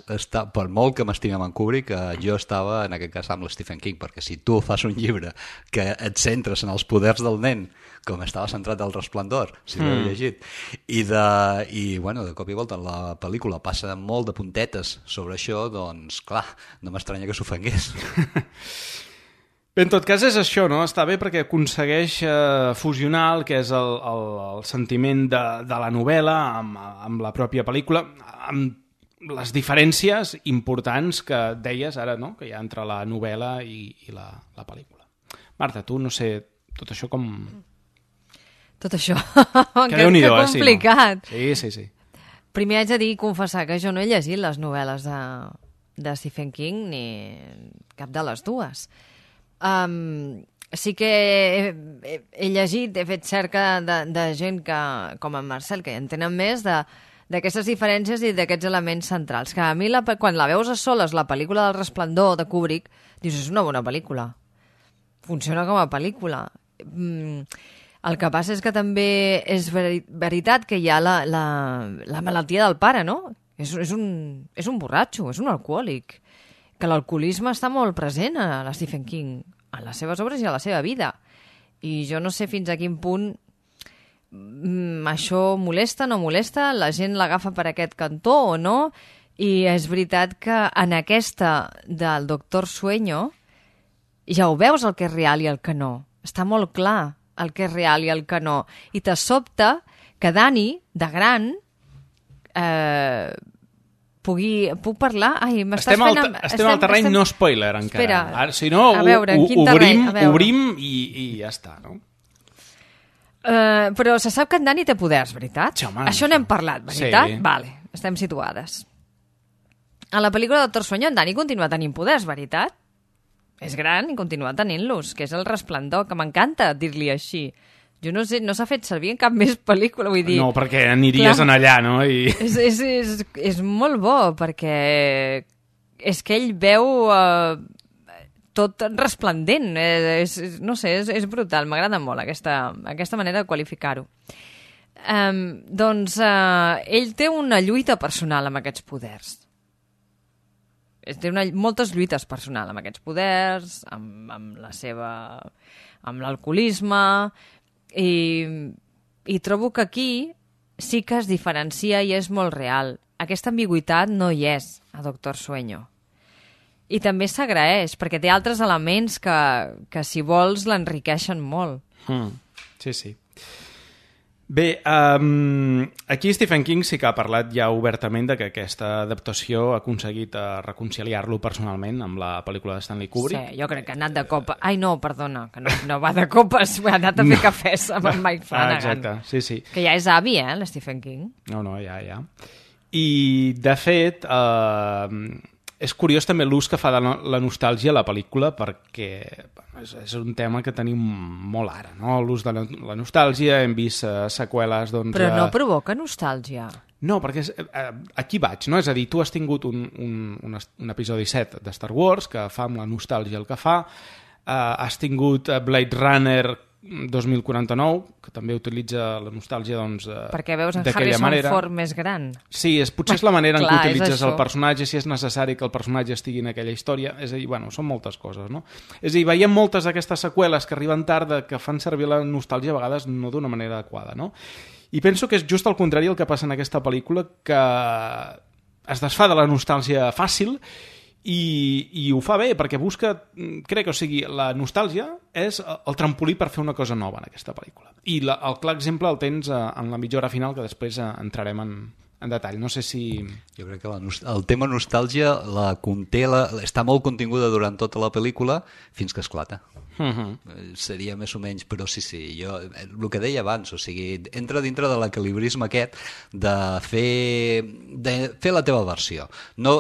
per molt que m'estimem en Kubrick, jo estava en aquest cas amb l'Stephen King, perquè si tu fas un llibre que et centres en els poders del nen, com estava centrat al Resplendor, si l'heu llegit, i de cop i volta la pel·lícula passa molt de puntetes sobre això, doncs clar, no m'estranya que s'ofengués. Bé, en tot cas és això, no? Està bé perquè aconsegueix fusionar el que és el sentiment de la novel·la amb la pròpia pel·lícula, amb les diferències importants que deies ara, no? Que hi ha entre la novel·la i la pel·lícula. Marta, tu, no sé, tot això com... Tot això, que complicat. Sí. Primer haig de dir i confessar que jo no he llegit les novel·les de Stephen King ni cap de les dues. Sí que he llegit, he fet cerca de gent que, com en Marcel, que entenen més d'aquestes diferències i d'aquests elements centrals, que a mi quan la veus a soles, la pel·lícula del Resplendor de Kubrick, dius, és una bona pel·lícula, funciona com a pel·lícula. El que passa és que també és veritat que hi ha la malaltia del pare, no? És un borratxo, és un alcohòlic, que l'alcoholisme està molt present a la Stephen King, a les seves obres i a la seva vida. I jo no sé fins a quin punt això molesta, no molesta, la gent l'agafa per aquest cantó o no, i és veritat que en aquesta del Doctor Sueño ja ho veus el que és real i el que no. Està molt clar el que és real i el que no. I te sobta que Dani, de gran... Puc parlar? Ai, estem al terreny no spoiler encara. Espera, ara, si no, obrim i ja està, no? Però se sap que en Dani té poders, veritat? Sí, home, això n'hem parlat, veritat? Sí. Vale, estem situades. A la pel·lícula de Doctor Sueño en Dani continua tenint poders, veritat? És gran i continua tenint-los, que és el Resplendor, que m'encanta dir-li així. Jo no sé, no s'ha fet servir en cap més pel·lícula, vull dir... No, perquè aniries en allà, no? És molt bo, perquè és que ell veu tot resplendent. No sé, és brutal, m'agrada molt aquesta manera de qualificar-ho. Doncs ell té una lluita personal amb aquests poders. Té moltes lluites personals amb aquests poders, amb l'alcoholisme... I trobo que aquí sí que es diferencia i és molt real. Aquesta ambigüitat no hi és a Doctor Sueño. I també s'agraeix, perquè té altres elements que si vols, l'enriqueixen molt. Sí. Bé, aquí Stephen King sí que ha parlat ja obertament de que aquesta adaptació ha aconseguit reconciliar-lo personalment amb la pel·lícula de Stanley Kubrick. Sí, jo crec que ha anat de copa... Ai, no, perdona, que no va de copes, ha anat a fer cafès amb en Mike Flanagan. Exacte, sí. Que ja és avi, l'Stephen King. No, ja. I, de fet, és curiós també l'ús que fa de la nostàlgia a la pel·lícula, perquè és un tema que tenim molt ara, no? L'ús de la nostàlgia, hem vist seqüeles... Doncs, però no provoca nostàlgia. No, perquè aquí vaig, no? És a dir, tu has tingut un episodi 7 de Star Wars que fa amb la nostàlgia el que fa, has tingut Blade Runner 2049, que també utilitza la nostàlgia, doncs, perquè veus en d'aquella Harrison manera. Ford més gran. Sí, potser és la manera en què Clar, utilitzes el personatge, si és necessari que el personatge estigui en aquella història. És a dir, són moltes coses, no? És a dir, veiem moltes d'aquestes seqüeles que arriben tard que fan servir la nostàlgia a vegades no d'una manera adequada, no? I penso que és just al contrari el que passa en aquesta pel·lícula, que es desfà de la nostàlgia fàcil i ho fa bé, perquè busca, crec, o sigui, la nostàlgia és el trampolí per fer una cosa nova en aquesta pel·lícula. I el clar exemple el tens en la mitja hora final, que després entrarem en detall. No sé si... Jo crec que el tema nostàlgia està molt continguda durant tota la pel·lícula fins que esclata. Seria més o menys, però sí, jo, el que deia abans, o sigui, entra dintre de l'equilibrisme aquest de fer la teva versió. No,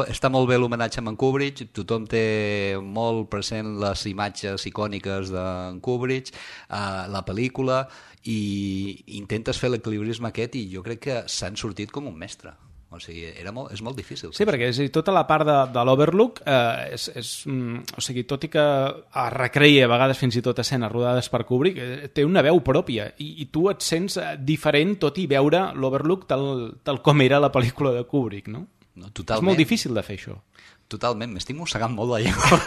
està molt bé l'homenatge a en Kubrick, tothom té molt present les imatges icòniques d'en Kubrick, la pel·lícula, i intentes fer l'equilibrisme aquest i jo crec que s'han sortit com un mestre. O sigui, és molt difícil. Sí, perquè tota la part de l'Overlook, o sigui, tot i que es recreia a vegades fins i tot escenes rodades per Kubrick, té una veu pròpia i tu et sents diferent tot i veure l'Overlook tal com era la pel·lícula de Kubrick, no? Totalment. És molt difícil de fer això. Totalment, m'estic mossegant molt la llengua.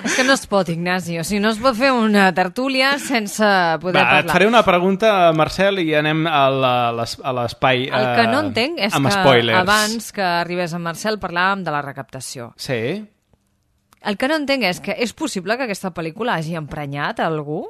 És que no es pot, Ignasi, o sigui, no es pot fer una tertúlia sense poder parlar. Et faré una pregunta, Marcel, i anem a l'espai amb spoilers. El que no entenc és que abans que arribés en Marcel parlàvem de la recaptació. Sí. El que no entenc és que és possible que aquesta pel·lícula hagi emprenyat a algú?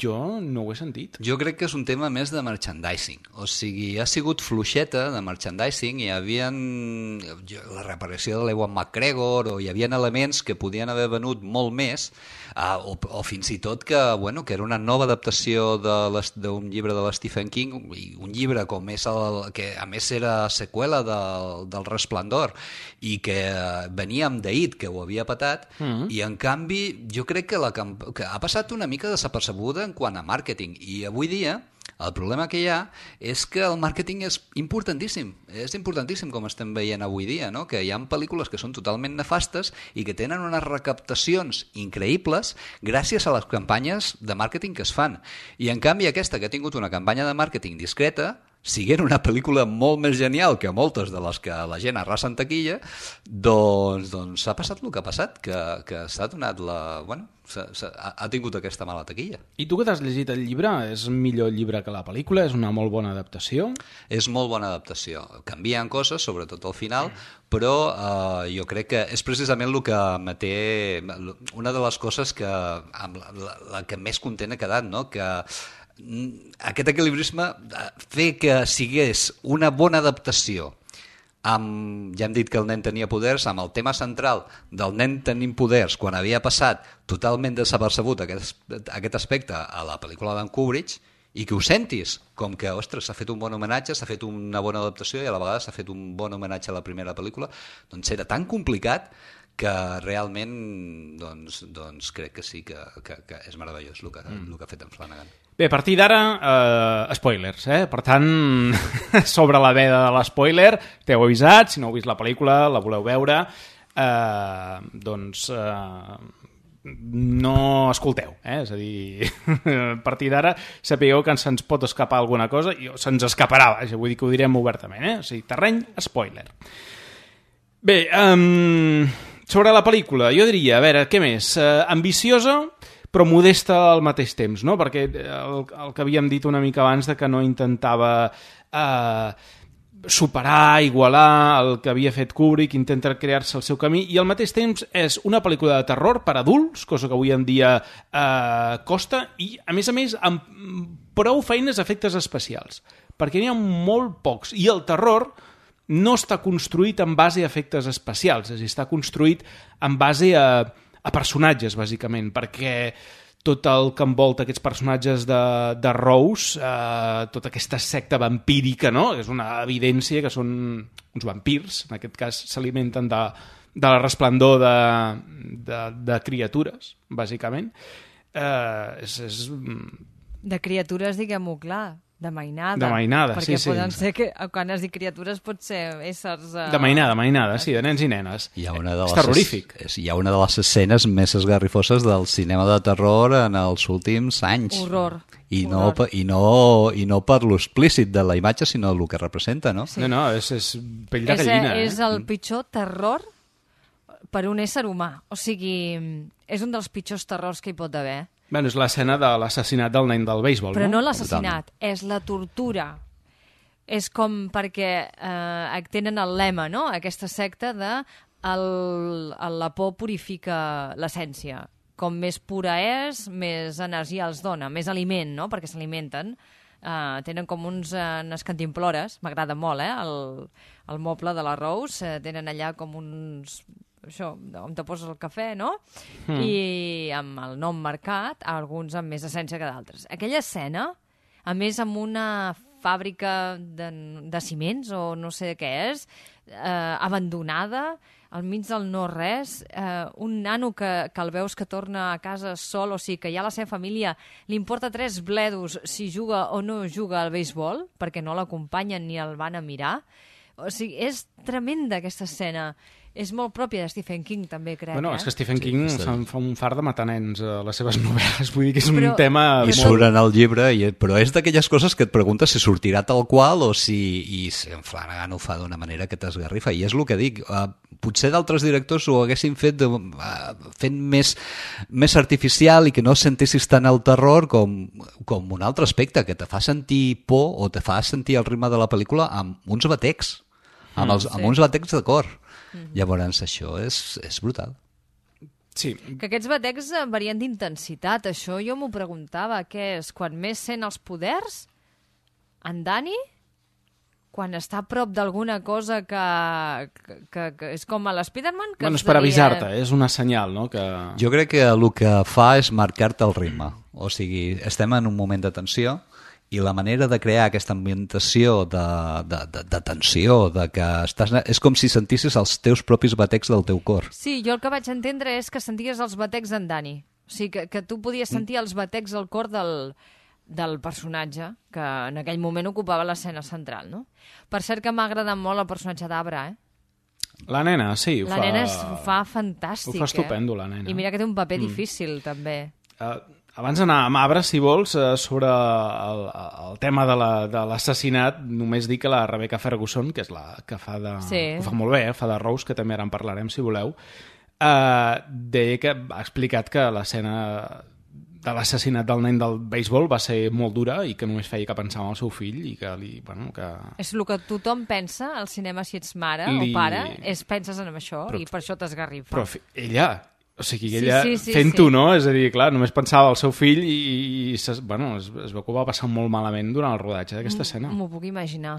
Jo no ho he sentit. Jo crec que és un tema més de merchandising. O sigui, ha sigut fluixeta de merchandising, hi havia la reaparició de l'Ewan McGregor, o hi havia elements que podien haver venut molt més, o fins i tot que era una nova adaptació d'un llibre de l'Stephen King, un llibre com és que a més era seqüela del Resplendor, i que venia amb The It, que ho havia patat, i en canvi jo crec que ha passat una mica desapercebuda en quant a màrqueting, i avui dia el problema que hi ha és que el màrqueting és importantíssim com estem veient avui dia, no? Que hi ha pel·lícules que són totalment nefastes i que tenen unes recaptacions increïbles gràcies a les campanyes de màrqueting que es fan, i en canvi aquesta que ha tingut una campanya de màrqueting discreta, siguent una pel·lícula molt més genial que moltes de les que la gent arrasa en taquilla, doncs ha passat el que ha passat, que s'ha donat ha tingut aquesta mala taquilla. I tu que t'has llegit el llibre, és millor llibre que la pel·lícula? És una molt bona adaptació? És molt bona adaptació. Canvien coses, sobretot al final, però jo crec que és precisament el que m'ha una de les coses que la que més content ha quedat, no? Que aquest equilibrisme, fer que sigués una bona adaptació amb, ja hem dit que el nen tenia poders, amb el tema central del nen tenint poders quan havia passat totalment desapercebut aquest aspecte a la pel·lícula d'en Kubrick, i que ho sentis com que, ostres, s'ha fet un bon homenatge, s'ha fet una bona adaptació i a la vegada s'ha fet un bon homenatge a la primera pel·lícula, doncs era tan complicat que realment doncs crec que sí que és meravellós el que ha fet en Flanagan. Bé, a partir d'ara, spoilers, Per tant, sobre la veda de l'espoiler, t'heu avisat, si no heu vist la pel·lícula, la voleu veure, doncs no escolteu, És a dir, a partir d'ara sapigueu que se'ns pot escapar alguna cosa, i se'ns escaparà, vull dir que ho direm obertament, O sigui, terreny, spoiler. Bé, sobre la pel·lícula, jo diria, a veure, què més? Ambiciosa, però modesta al mateix temps, no? Perquè el que havíem dit una mica abans de que no intentava superar, igualar el que havia fet Kubrick, intenta crear-se el seu camí, i al mateix temps és una pel·lícula de terror per adults, cosa que avui en dia costa, i a més, amb prou feines efectes especials, perquè n'hi ha molt pocs, i el terror no està construït en base a efectes especials, és a dir, està construït en base a personatges, bàsicament, perquè tot el que envolta aquests personatges de Rose, tota aquesta secta vampírica, no? És una evidència que són uns vampirs, en aquest cas s'alimenten de la resplendor de criatures, bàsicament. De criatures, diguem-ho clar, de mainada. De mainada, perquè sí. Poden ser que, quan has dit criatures, pot ser éssers... De mainada, sí, de nens i nenes. És terrorífic. Hi ha una de les escenes més esgarrifoses del cinema de terror en els últims anys. Horror. I no per l'explícit de la imatge, sinó el que representa, no? Sí. No, és pell de gallina. És el pitjor terror per un ésser humà. O sigui, és un dels pitjors terrors que hi pot haver. És l'escena de l'assassinat del nen del béisbol, Però no l'assassinat, és la tortura és com perquè tenen el lema, no?, aquesta secta de la por purifica l'essència. Com més pura és, més energia els dona, més aliment, no?, perquè s'alimenten. Tenen com unes cantimplores, m'agrada molt, el moble de la Rose, tenen allà com uns... això, on te poses el cafè, no? I amb el nom marcat, alguns amb més essència que d'altres. Aquella escena, a més amb una fàbrica de ciments, o no sé què és, abandonada, al mig del no-res, un nano que el veus que torna a casa sol, o sigui que ja la seva família li importa 3 bledos si juga o no juga al béisbol, perquè no l'acompanyen ni el van a mirar. O sigui, és tremenda aquesta escena. És molt pròpia de Stephen King, també, crec. Bueno, és que Stephen King se'n fa un far de matar nens a les seves novel·les. Vull dir que és un Però- tema... I surt en el llibre, però és d'aquelles coses que et preguntes si sortirà tal qual o si en Flanagan ho fa d'una manera que t'esgarrifa. I és el que dic, potser d'altres directors ho haguessin fet fent més artificial i que no sentissis tant el terror com un altre aspecte, que te fa sentir por o te fa sentir el ritme de la pel·lícula amb uns batecs, amb uns batecs de cor. Llavors això és brutal. Sí. Que aquests batecs varien d'intensitat, això jo m'ho preguntava, què és? Quan més sent els poders? En Danny? Quan està a prop d'alguna cosa que és com a l'Spiderman? Bueno, és per avisar-te, és una senyal, no? Que... Jo crec que el que fa és marcar-te el ritme. O sigui, estem en un moment de tensió i la manera de crear aquesta ambientació de tensió, de que és com si sentissis els teus propis batecs del teu cor. Sí, jo el que vaig entendre és que senties els batecs d'en Danny. O sigui, que tu podies sentir els batecs al cor del personatge, que en aquell moment ocupava l'escena central, no? Per cert que m'ha agradat molt el personatge d'Abra, La nena, sí. La nena ho fa fantàstic, Ho fa estupendo, la nena. I mira que té un paper difícil, també. Abans d'anar amb Abra, si vols, sobre el tema de l'assassinat, només dir que la Rebecca Ferguson, que és la que fa de... Sí. Ho fa molt bé, fa de Rose, que també ara en parlarem, si voleu, deia que ha explicat que l'escena de l'assassinat del nen del béisbol va ser molt dura i que només feia que pensar en el seu fill i que És el que tothom pensa al cinema si ets mare o pare, penses en això i per això t'esgarrifa. Però ella... O sigui, ella sí, fent-ho, no? És a dir, clar, només pensava al seu fill i es veu que ho va passar molt malament durant el rodatge d'aquesta escena. M'ho puc imaginar.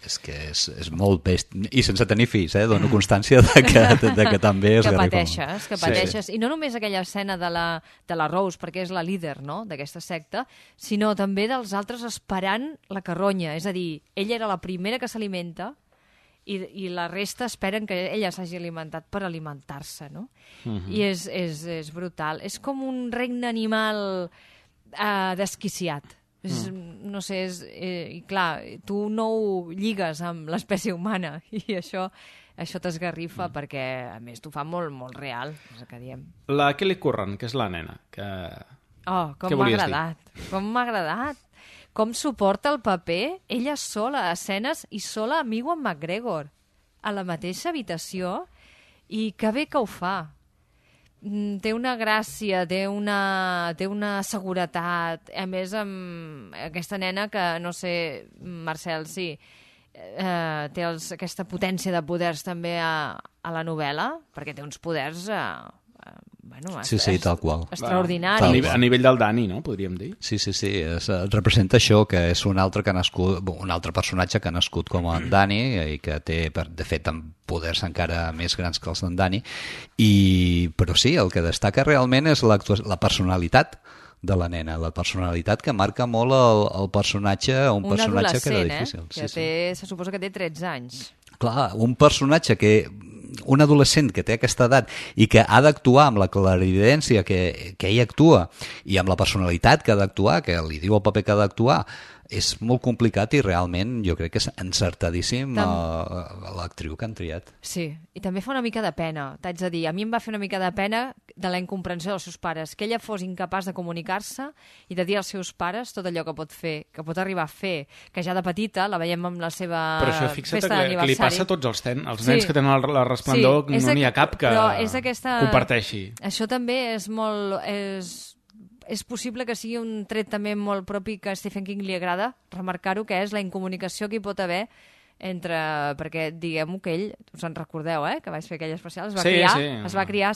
És que és molt best. I sense tenir fills, dono constància de que també es garrifa. Que pateixes. I no només aquella escena de la Rose, perquè és la líder, no?, d'aquesta secta, sinó també dels altres esperant la carronya. És a dir, ella era la primera que s'alimenta i la resta esperen que ella s'hagi alimentat per alimentar-se, no? I és brutal. És com un regne animal desquiciat. No sé, i clar, tu no ho lligues amb l'espècie humana i això t'esgarrifa perquè, a més, t'ho fa molt, molt real, és el que diem. La Kelly Curran, que és la nena, que... Com m'ha agradat. Com m'ha agradat. Com suporta el paper, ella sola a escenes i sola amb Ewan McGregor a la mateixa habitació, i que bé que ho fa. Té una gràcia, té una seguretat, a més amb aquesta nena que, no sé, Marcel, sí, té aquesta potència de poders també a la novel·la, perquè té uns poders... Sí, tal qual. Extraordinari. A nivell del Danny, no? Podríem dir. Sí. Representa això, que és un altre personatge que ha nascut com en Danny i que té, de fet, amb poders encara més grans que els d'en Danny. Però sí, el que destaca realment és la personalitat de la nena, la personalitat que marca molt el personatge, un personatge que era difícil. Se suposa que té 13 anys. Clar, un personatge un adolescent que té aquesta edat i que ha d'actuar amb la clarividència que ell actua i amb la personalitat que ha d'actuar, que li diu el paper que ha d'actuar, és molt complicat i realment jo crec que és encertadíssim l'actriu que han triat. Sí, i també fa una mica de pena, t'haig de dir. A mi em va fer una mica de pena de la incomprensió dels seus pares, que ella fos incapaç de comunicar-se i de dir als seus pares tot allò que pot fer, que pot arribar a fer, que ja de petita la veiem amb la seva festa d'aniversari. Que li passa a tots els nens que tenen la resplendor, no n'hi ha cap que comparteixi. Això també és molt... és possible que sigui un tret també molt propi que a Stephen King li agrada remarcar-ho, que és la incomunicació que hi pot haver entre... Perquè diguem-ho que ell, us en recordeu, que vaig fer aquell especial, es va criar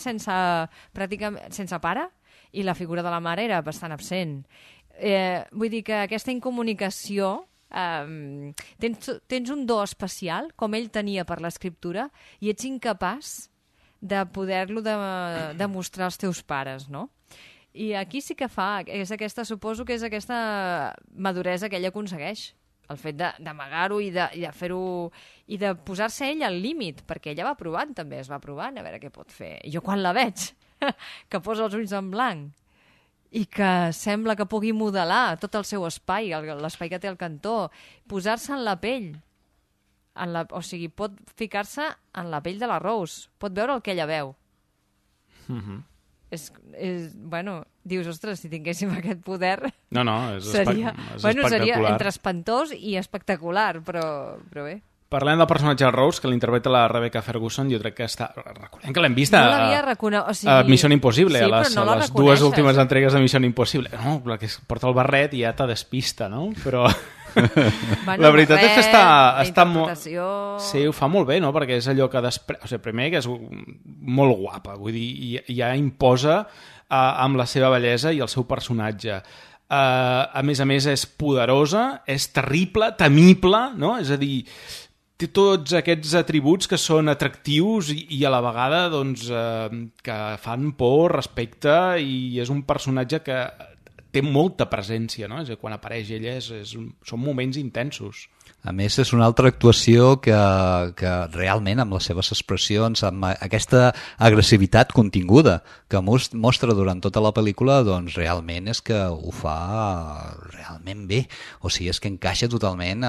pràcticament sense pare i la figura de la mare era bastant absent. Vull dir que aquesta incomunicació... tens un do especial, com ell tenia per l'escriptura, i ets incapaç de poder-lo demostrar als teus pares, no? I aquí sí que suposo que és aquesta maduresa que ell aconsegueix. El fet d'amagar-ho i de fer-ho i de posar-se ell al límit, perquè ella va provant també, es va provant a veure què pot fer. I jo quan la veig, que posa els ulls en blanc i que sembla que pugui modelar tot el seu espai, l'espai que té al cantó, posar-se en la pell, o sigui, pot ficar-se en la pell de la Rose, pot veure el que ella veu. Bueno, dius, ostres, si tinguéssim aquest poder... seria entre espantós i espectacular, però bé. Parlem del personatge de Rose, que l'interpreta la Rebecca Ferguson, jo crec que recordem que l'hem vist a Mission Impossible, a les dues últimes entregues de Mission Impossible. No, la que es porta el barret i ja te despista, no? Però... la veritat és que està molt... Sí, ho fa molt bé, no? Perquè és allò que primer que és molt guapa, vull dir, ja imposa amb la seva bellesa i el seu personatge. A més, és poderosa, és terrible, temible, no? És a dir, té tots aquests atributs que són atractius i a la vegada doncs, que fan por, respecte, i és un personatge que té molta presència, no? És a dir, quan apareix ella són moments intensos. A més, és una altra actuació que realment, amb les seves expressions, amb aquesta agressivitat continguda que mostra durant tota la pel·lícula, doncs realment és que ho fa realment bé. O sigui, és que encaixa totalment,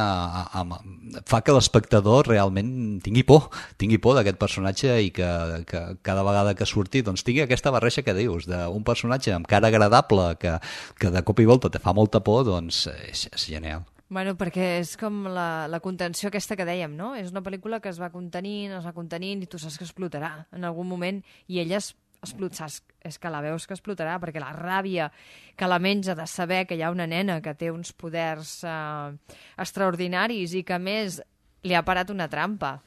fa que l'espectador realment tingui por d'aquest personatge i que cada vegada que surti doncs tingui aquesta barreja que dius, d'un personatge amb cara agradable que de cop i volta te fa molta por, doncs és genial. Bueno, perquè és com la contenció aquesta que dèiem, no? És una pel·lícula que es va contenint i tu saps que explotarà en algun moment i ella és que la veus que explotarà perquè la ràbia que la menja de saber que hi ha una nena que té uns poders extraordinaris i que a més li ha parat una trampa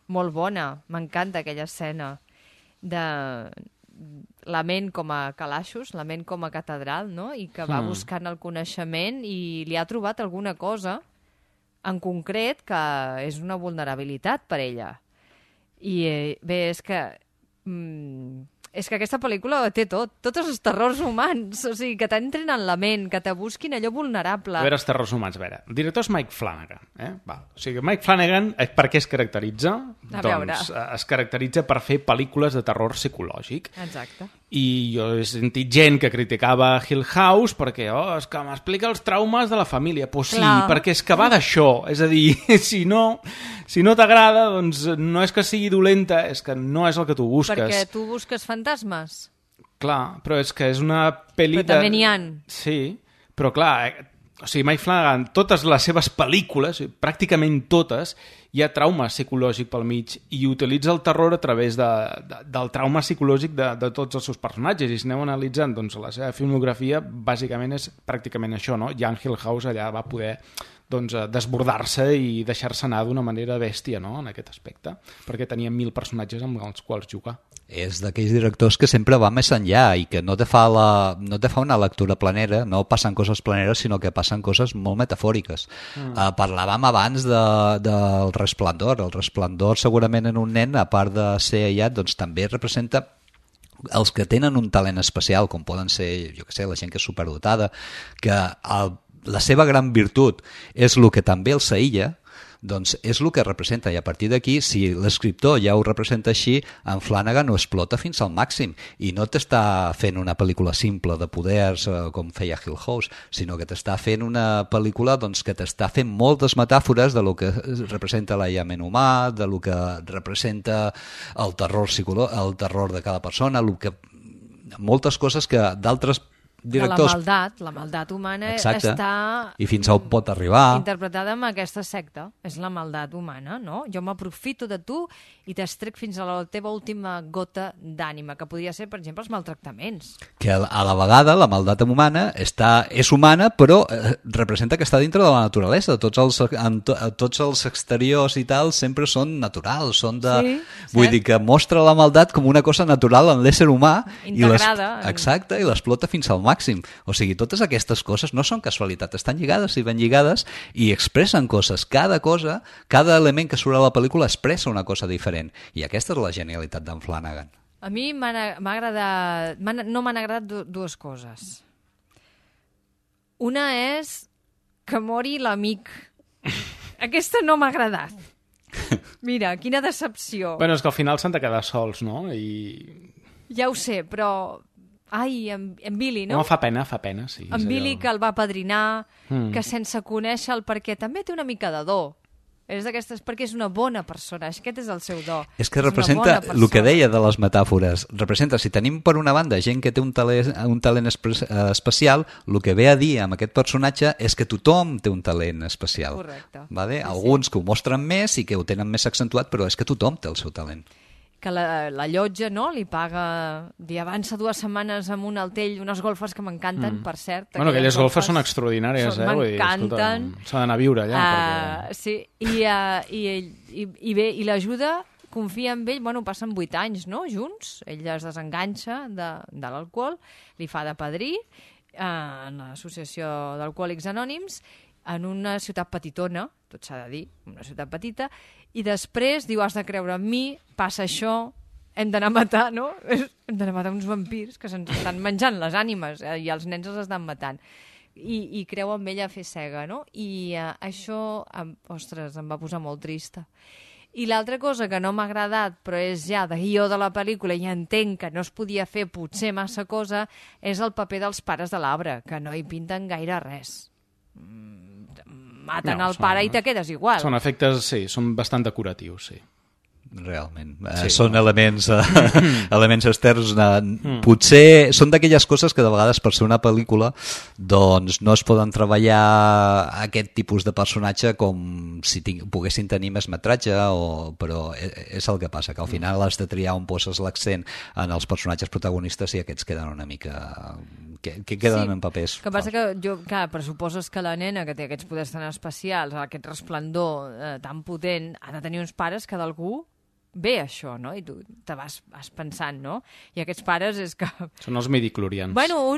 molt bona. M'encanta aquella escena de la ment com a calaixos, la ment com a catedral, no? I que va buscant el coneixement i li ha trobat alguna cosa en concret que és una vulnerabilitat per ella. I bé, és que aquesta pel·lícula té tots els terrors humans, o sigui, que t'entren en la ment, que te busquin allò vulnerable. A veure, els terrors humans, a veure, el director és Mike Flanagan, O sigui, Mike Flanagan, per què es caracteritza? Doncs es caracteritza per fer pel·lícules de terror psicològic. Exacte. I jo he sentit gent que criticava Hill House perquè, és que m'explica els traumes de la família. Pues sí, perquè és que va d'això. És a dir, si no t'agrada, doncs no és que sigui dolenta, és que no és el que tu busques. Perquè tu busques fantasmes. Clar, però és que és una pel·li... Però també n'hi ha. Sí, però clar, o sigui, Mike Flanagan, totes les seves pel·lícules, pràcticament totes, hi ha trauma psicològic pel mig i utilitza el terror a través del trauma psicològic de tots els seus personatges. I si aneu analitzant, doncs la seva filmografia bàsicament és pràcticament això, no? Jan Hill House allà va poder desbordar-se i deixar-se anar d'una manera bèstia, no? En aquest aspecte, perquè tenia 1000 personatges amb els quals jugar. És d'aquells directors que sempre va més enllà i que no te fa una lectura planera, no passen coses planeres, sinó que passen coses molt metafòriques. Parlàvem abans del Resplendor. El Resplendor segurament en un nen, a part de ser aïllat, doncs també representa els que tenen un talent especial, com poden ser, jo què sé, la gent que és superdotada, que la seva gran virtut és el que també els aïlla, doncs és el que representa, i a partir d'aquí, si l'escriptor ja ho representa així, en Flanagan ho explota fins al màxim i no t'està fent una pel·lícula simple de poders com feia Hill House, sinó que t'està fent una pel·lícula doncs, que t'està fent moltes metàfores de lo que representa l'aïllament humà, de lo que representa el terror de cada persona, moltes coses que d'altres directors... La maldat humana Exacte. està... I fins a on pot arribar. Interpretada amb aquesta secta. És la maldat humana, no? Jo m'aprofito de tu i t'estrec fins a la teva última gota d'ànima, que podria ser, per exemple, els maltractaments. Que a la vegada la maldat humana és humana, però representa que està dintre de la naturalesa. Tots els exteriors i tal sempre són naturals, són de... Sí, vull dir que mostra la maldat com una cosa natural en l'ésser humà. Integrada. Exacte, i l'explota fins al màxim. O sigui, totes aquestes coses no són casualitat, estan lligades i ben lligades i expressen coses. Cada cosa, cada element que surt a la pel·lícula expressa una cosa diferent. I aquesta és la genialitat d'en Flanagan. A mi no m'han agradat dues coses. Una és que mori l'amic. Aquesta no m'ha agradat. Mira, quina decepció. Bueno, és que al final s'han de quedar sols, no? Ja ho sé, però... Ai, en Billy, no? No, fa pena, sí. En Billy, que el va apadrinar, que sense conèixer el perquè també té una mica de do. És d'aquestes, perquè és una bona persona, aquest és el seu do. És que representa el que deia de les metàfores. Representa, si tenim per una banda gent que té un talent especial, el que ve a dir amb aquest personatge és que tothom té un talent especial. Correcte. Vale? Alguns que ho mostren més i que ho tenen més accentuat, però és que tothom té el seu talent. Que la llotja, no?, li paga, li avança 2 setmanes amb un altell, unes golfes que m'encanten, per cert. Bueno, aquelles golfes són extraordinàries, m'encanten. S'ha d'anar a viure allà. Sí, i l'ajuda, confia en ell, bueno, passen 8 anys, no?, junts, ell es desenganxa de l'alcohol, li fa de padrí en l'Associació d'Alcohòlics Anònims, en una ciutat petitona, tot s'ha de dir, una ciutat petita, i després diu, has de creure en mi, passa això, hem d'anar a matar, no? Hem d'anar a matar uns vampirs que se'ns estan menjant les ànimes i els nens els estan matant. I creu en ella a fer cega, no? I això, ostres, em va posar molt trista. I l'altra cosa que no m'ha agradat, però és ja de guió de la pel·lícula i entenc que no es podia fer potser massa cosa, és el paper dels pares de l'arbre, que no hi pinten gaire res. Maten el pare i te quedes igual. Són efectes, sí, són bastant decoratius, sí. Realment. Són elements externs. Potser són d'aquelles coses que de vegades per ser una pel·lícula doncs no es poden treballar aquest tipus de personatge com si poguessin tenir més metratge, però és el que passa, que al final has de triar on poses l'accent en els personatges protagonistes i aquests queden una mica... que queden en papers. Que passa que jo, clar, pressuposes que la nena que té aquests poders tan especials, aquest resplendor tan potent, ha de tenir uns pares que d'algú ve això, no? I tu te vas pensant, no? I aquests pares és que... Són els midichlorians. Bueno,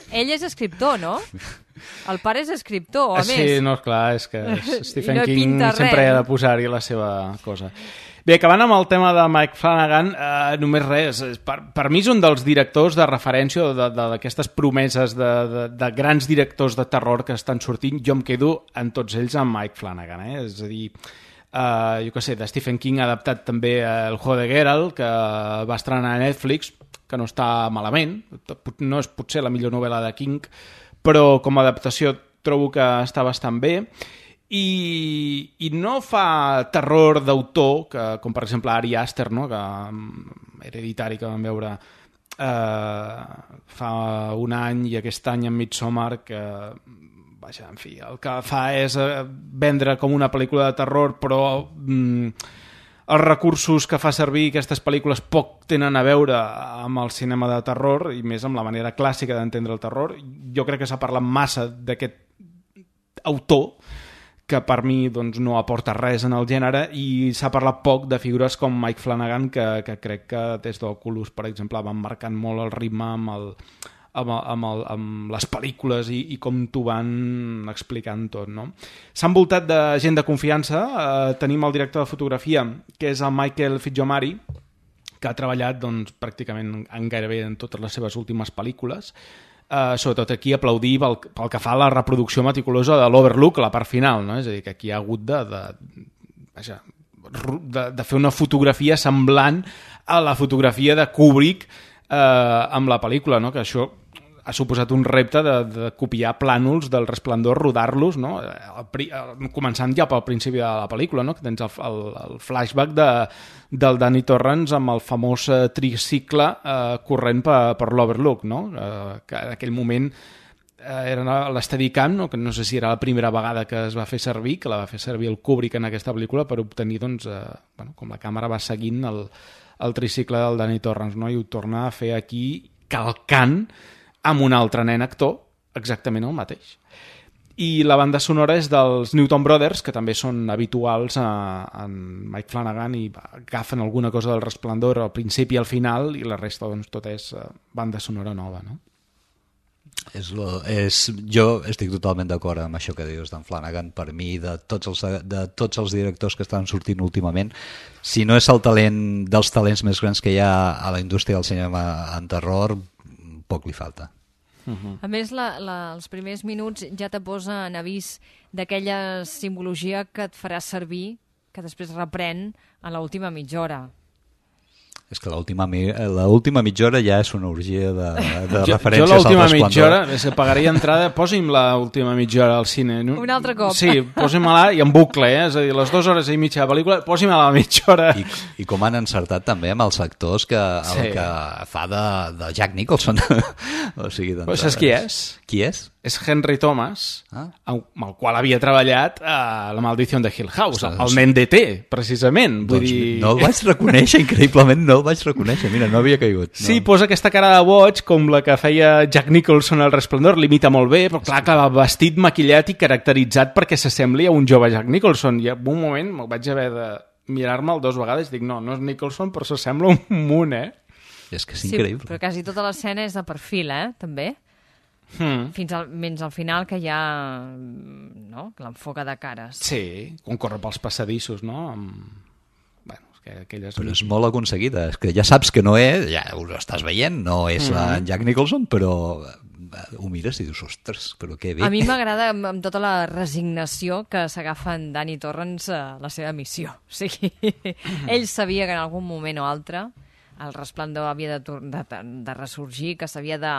ell és escriptor, no? El pare és escriptor, a més. Sí, no, clar, és que Stephen King sempre ha de posar-hi la seva cosa. Bé, acabant amb el tema de Mike Flanagan, només res, per mi és un dels directors de referència d'aquestes promeses de grans directors de terror que estan sortint. Jo em quedo en tots ells amb Mike Flanagan, és a dir, jo què sé, de Stephen King ha adaptat també El Juego de Geralt, que va estrenar a Netflix, que no està malament, no és potser la millor novel·la de King, però com a adaptació trobo que està bastant bé. I no fa terror d'autor, com per exemple Ari Aster, no? Que Hereditari, que vam veure fa un any, i aquest any en Midsommar, que vaja, en fi, el que fa és vendre com una pel·lícula de terror, però els recursos que fa servir aquestes pel·lícules poc tenen a veure amb el cinema de terror, i més amb la manera clàssica d'entendre el terror. Jo crec que s'ha parlat massa d'aquest autor, que per mi doncs, no aporta res en el gènere, i s'ha parlat poc de figures com Mike Flanagan, que crec que des d'Oculus, per exemple, van marcant molt el ritme amb les pel·lícules i com t'ho van explicant tot, no? S'ha envoltat de gent de confiança. Tenim el director de fotografia, que és el Michael Fitzgerald, que ha treballat doncs, pràcticament en gairebé en totes les seves últimes pel·lícules. Sobretot aquí aplaudir pel que fa a la reproducció meticulosa de l'Overlook, la part final, no? És a dir, que aquí ha hagut de fer una fotografia semblant a la fotografia de Kubrick amb la pel·lícula, no? Que això ha suposat un repte de copiar plànols del Resplendor, rodar-los, no? Començant ja pel principi de la pel·lícula, no? Que tens el flashback del Danny Torrance amb el famós tricicle corrent per l'Overlook, no? Que en aquell moment era l'Steadicam, no? Que no sé si era la primera vegada que es va fer servir, que la va fer servir el Kubrick en aquesta pel·lícula per obtenir, doncs, com la càmera va seguint el tricicle del Danny Torrance, no? I ho torna a fer aquí calcant amb un altre nen actor exactament el mateix. I la banda sonora és dels Newton Brothers, que també són habituals en Mike Flanagan i agafen alguna cosa del Resplendor al principi i al final, i la resta, doncs, tot és banda sonora nova, no? Jo estic totalment d'acord amb això que dius d'en Flanagan. Per mi, de tots els directors que estan sortint últimament, si no és el talent dels talents més grans que hi ha a la indústria del cinema en terror, poc li falta. A més, els primers minuts ja te posa en avís d'aquella simbologia que et farà servir, que després reprèn a l'última mitja hora. És que l'última mitja hora ja és una orgia de referències al Resplendor. Jo l'última mitja hora, és que pagaria entrada, posi'm l'última mitja hora al cine. Un altre cop. Sí, posi'm-la i en bucle, És a dir, les 2 hores i mitja de pel·lícula, posi'm-la a la mitja hora. I com han encertat també amb els actors que fa de Jack Nicholson. O sigui, doncs, saps qui és? Qui és? És Henry Thomas, amb el qual havia treballat a La maldició de Hill House, el nen d'E.T., precisament. Doncs no el vaig reconèixer, increïblement no el vaig reconèixer, mira, no havia caigut. No. Sí, posa aquesta cara de boig, com la que feia Jack Nicholson al Resplendor, l'imita molt bé, però clar, vestit, maquillat i caracteritzat perquè s'assembli a un jove Jack Nicholson. I en un moment me'l vaig haver de mirar-me'l 2 vegades i dic, no és Nicholson, però s'assembla un munt, És que és increïble. Sí, però quasi tota l'escena és de perfil, també. Menys al final, que hi ha l'enfoca de cares. Sí, quan corre pels passadissos, no? Però és molt aconseguida, és que ja saps que no és, ja ho estàs veient, no és en Jack Nicholson, però ho mires i dius, ostres, però que bé. A mi m'agrada amb tota la resignació que s'agafa en Danny Torrance a la seva missió. O sigui, ell sabia que en algun moment o altre el Resplendor havia de ressorgir, que s'havia de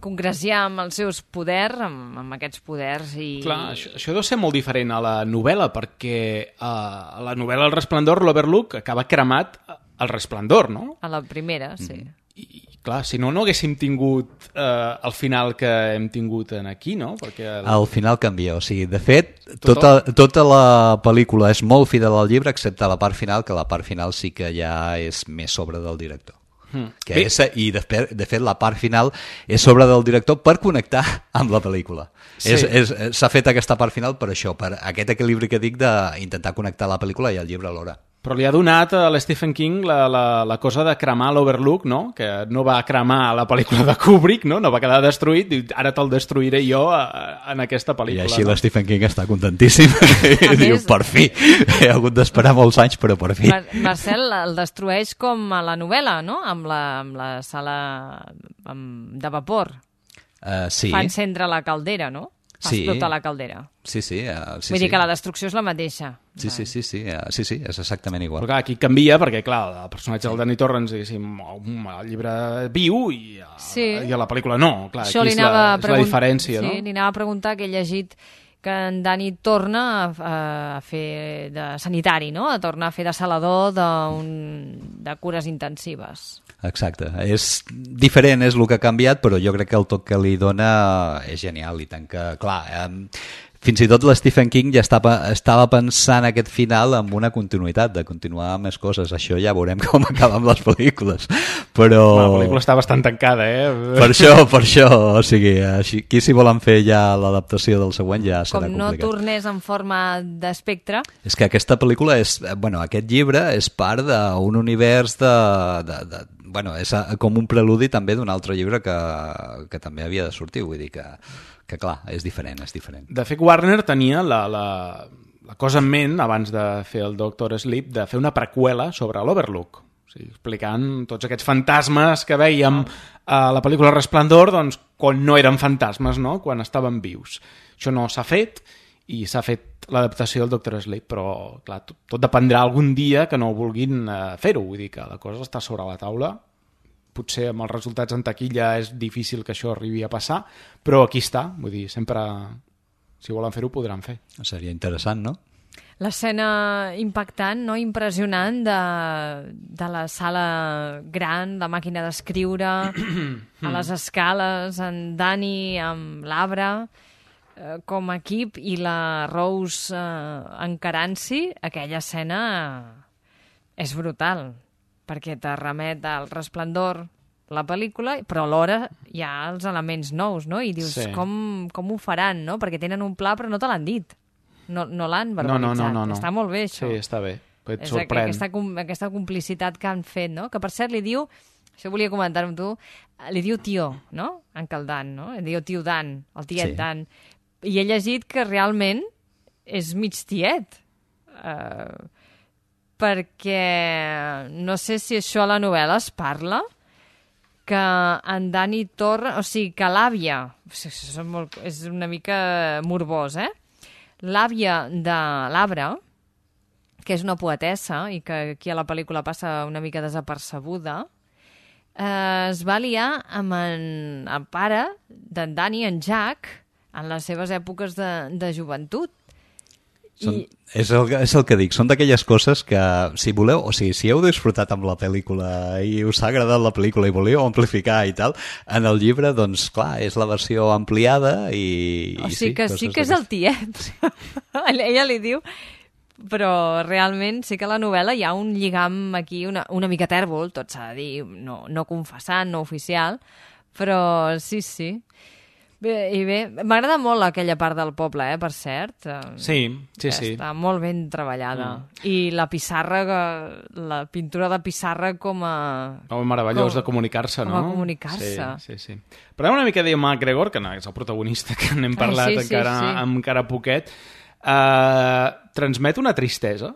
congraciar amb els seus poders, amb aquests poders. Clar, això deu ser molt diferent a la novel·la, perquè a la novel·la El Resplendor, l'Overlook acaba cremat al Resplendor, no? A la primera, sí. I clar, si no haguéssim tingut el final que hem tingut aquí, no? Perquè el final canvia, o sigui, de fet, tota la pel·lícula és molt fidel al llibre, excepte la part final, que la part final sí que ja és més sobre del director. I de fet la part final és sobre del director per connectar amb la pel·lícula. Sí. S'ha fet aquesta part final per això, per aquest equilibri que dic d'intentar connectar la pel·lícula i el llibre alhora. Però li ha donat a l'Stephen King la cosa de cremar l'Overlook, no? Que no va cremar la pel·lícula de Kubrick, no va quedar destruït, i ara te'l destruiré jo en aquesta pel·lícula. I així l'Stephen King està contentíssim. I diu, per fi, he hagut d'esperar molts anys, però per fi. Marcel el destrueix com a la novel·la, no? Amb la sala de vapor. Sí. Fa encendre la caldera, no? Fa explotar la caldera. Sí. Vull dir que la destrucció és la mateixa. Sí, és exactament igual. Però clar, aquí canvia perquè, clar, el personatge del Danny Torrance, diguéssim, el llibre viu i a la pel·lícula no. Clar, això aquí és la diferència, no? Sí, li anava a preguntar que he llegit que en Danny torna a fer de sanitari, no? A tornar a fer de salador de cures intensives. Exacte, és diferent, és el que ha canviat, però jo crec que el toc que li dona és genial, i tant que, clar, fins i tot l'Stephen King ja estava pensant aquest final amb una continuïtat, de continuar amb més coses. Això ja veurem com acaba amb les pel·lícules, però... La pel·lícula està bastant tancada, Per això, o sigui, aquí si volen fer ja l'adaptació del següent ja serà complicat. Com no tornés en forma d'espectre... És que aquesta pel·lícula aquest llibre és part d'un univers és com un preludi també d'un altre llibre que també havia de sortir, vull dir que clar, és diferent. De fet, Warner tenia la cosa en ment, abans de fer el Doctor Sleep, de fer una preqüela sobre l'Overlook, o sigui, explicant tots aquests fantasmes que veiem a la pel·lícula Resplendor, doncs, quan no eren fantasmes, no? Quan estaven vius. Això no s'ha fet, i s'ha fet l'adaptació del Doctor Sleep, però clar, tot dependrà algun dia que no vulguin fer-ho, vull dir que la cosa està sobre la taula potser amb els resultats en taquilla és difícil que això arribi a passar, però aquí està, vull dir, sempre, si volen fer-ho, podran fer. Seria interessant, no? L'escena impactant, no? Impressionant de la sala gran, la màquina d'escriure, a les escales, en Dani amb l'arbre, com a equip, i la Rose encarant-s'hi, aquella escena és brutal, perquè te remet al Resplendor, la pel·lícula, però alhora hi ha els elements nous, no? I dius, com ho faran, no? Perquè tenen un pla, però no te l'han dit. No l'han verbalitzat. No. Està molt bé, això. Sí, està bé. Et és sorprèn. aquesta complicitat que han fet, no? Que, per cert, li diu... Això volia comentar amb tu. Li diu tio, no? En Dan, no? Li diu tio Dan, el tiet Dan. I he llegit que realment és mig tiet. Perquè no sé si això a la novel·la es parla, que en Dani Torra... O sigui, que l'àvia... És una mica morbós, L'àvia de l'Arbre, que és una poetessa i que aquí a la pel·lícula passa una mica desapercebuda, es va liar amb el pare d'en Dani, en Jack, en les seves èpoques de joventut. És el que dic, són d'aquelles coses que, si voleu, o sigui, si heu disfrutat amb la pel·lícula i us ha agradat la pel·lícula i voleu amplificar i tal, en el llibre, doncs, clar, és la versió ampliada i... O sigui que sí que és el tiet. Ella li diu... Però realment sí que a la novel·la hi ha un lligam aquí una mica tèrbol, tot s'ha de dir, no confessant, no oficial, però sí. Bé, m'agrada molt aquella part del poble, per cert. Sí. Està molt ben treballada. I la pissarra, la pintura de pissarra com a... meravellós de comunicar-se, no? Com a comunicar-se. Sí. Parlem una mica de McGregor, que no és el protagonista, que n'hem parlat encara poquet. Transmet una tristesa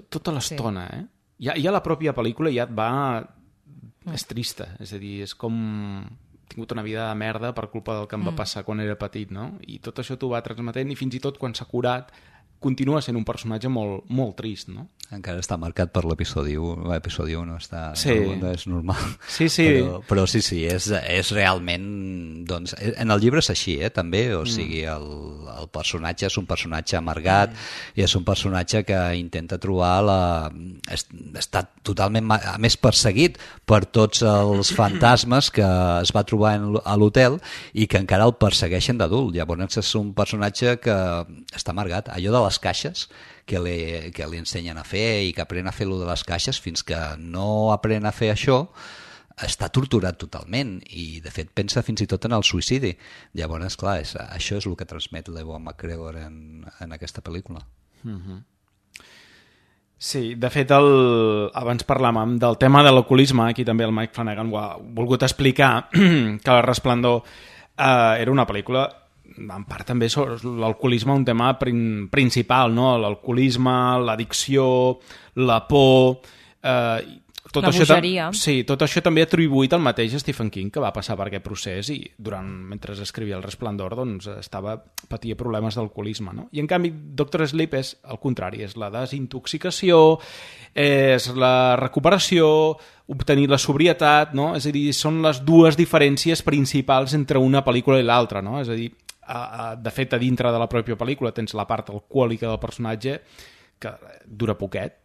tota l'estona, Ja la pròpia pel·lícula ja et va... És trista, és a dir, és com... tingut una vida de merda per culpa del que em va passar quan era petit, no? I tot això t'ho va transmetent i fins i tot quan s'ha curat continua sent un personatge molt, molt trist, no? Encara està marcat per l'episodi 1, l'episodi 1 no és normal. Sí. Però sí, és realment... Doncs, en el llibre és així, també, o sigui, el personatge és un personatge amargat i és un personatge que intenta trobar està totalment, a més, perseguit per tots els fantasmes que es va trobar a l'hotel i que encara el persegueixen d'adult. Llavors és un personatge que està amargat. Allò de les caixes que li ensenyen a fer i que aprèn a fer allò de les caixes, fins que no aprèn a fer això està torturat totalment i de fet pensa fins i tot en el suïcidi. Llavors, clar, això és el que transmet l'Ewan McGregor en aquesta pel·lícula. Sí, de fet, abans parlàvem del tema de l'alcoholisme, aquí també el Mike Flanagan ho ha volgut explicar, que El Resplendor era una pel·lícula en part també l'alcoholisme un tema principal, no? L'alcoholisme, l'addicció, la por... la bogeria. Tot això també atribuït al mateix Stephen King, que va passar per aquest procés i mentre escrivia El Resplendor doncs patia problemes d'alcoholisme, no? I en canvi Dr. Sleep és el contrari, és la desintoxicació, és la recuperació, obtenir la sobrietat, no? És a dir, són les dues diferències principals entre una pel·lícula i l'altra, no? És a dir, de fet, a dintre de la pròpia pel·lícula tens la part alcohòlica del personatge que dura poquet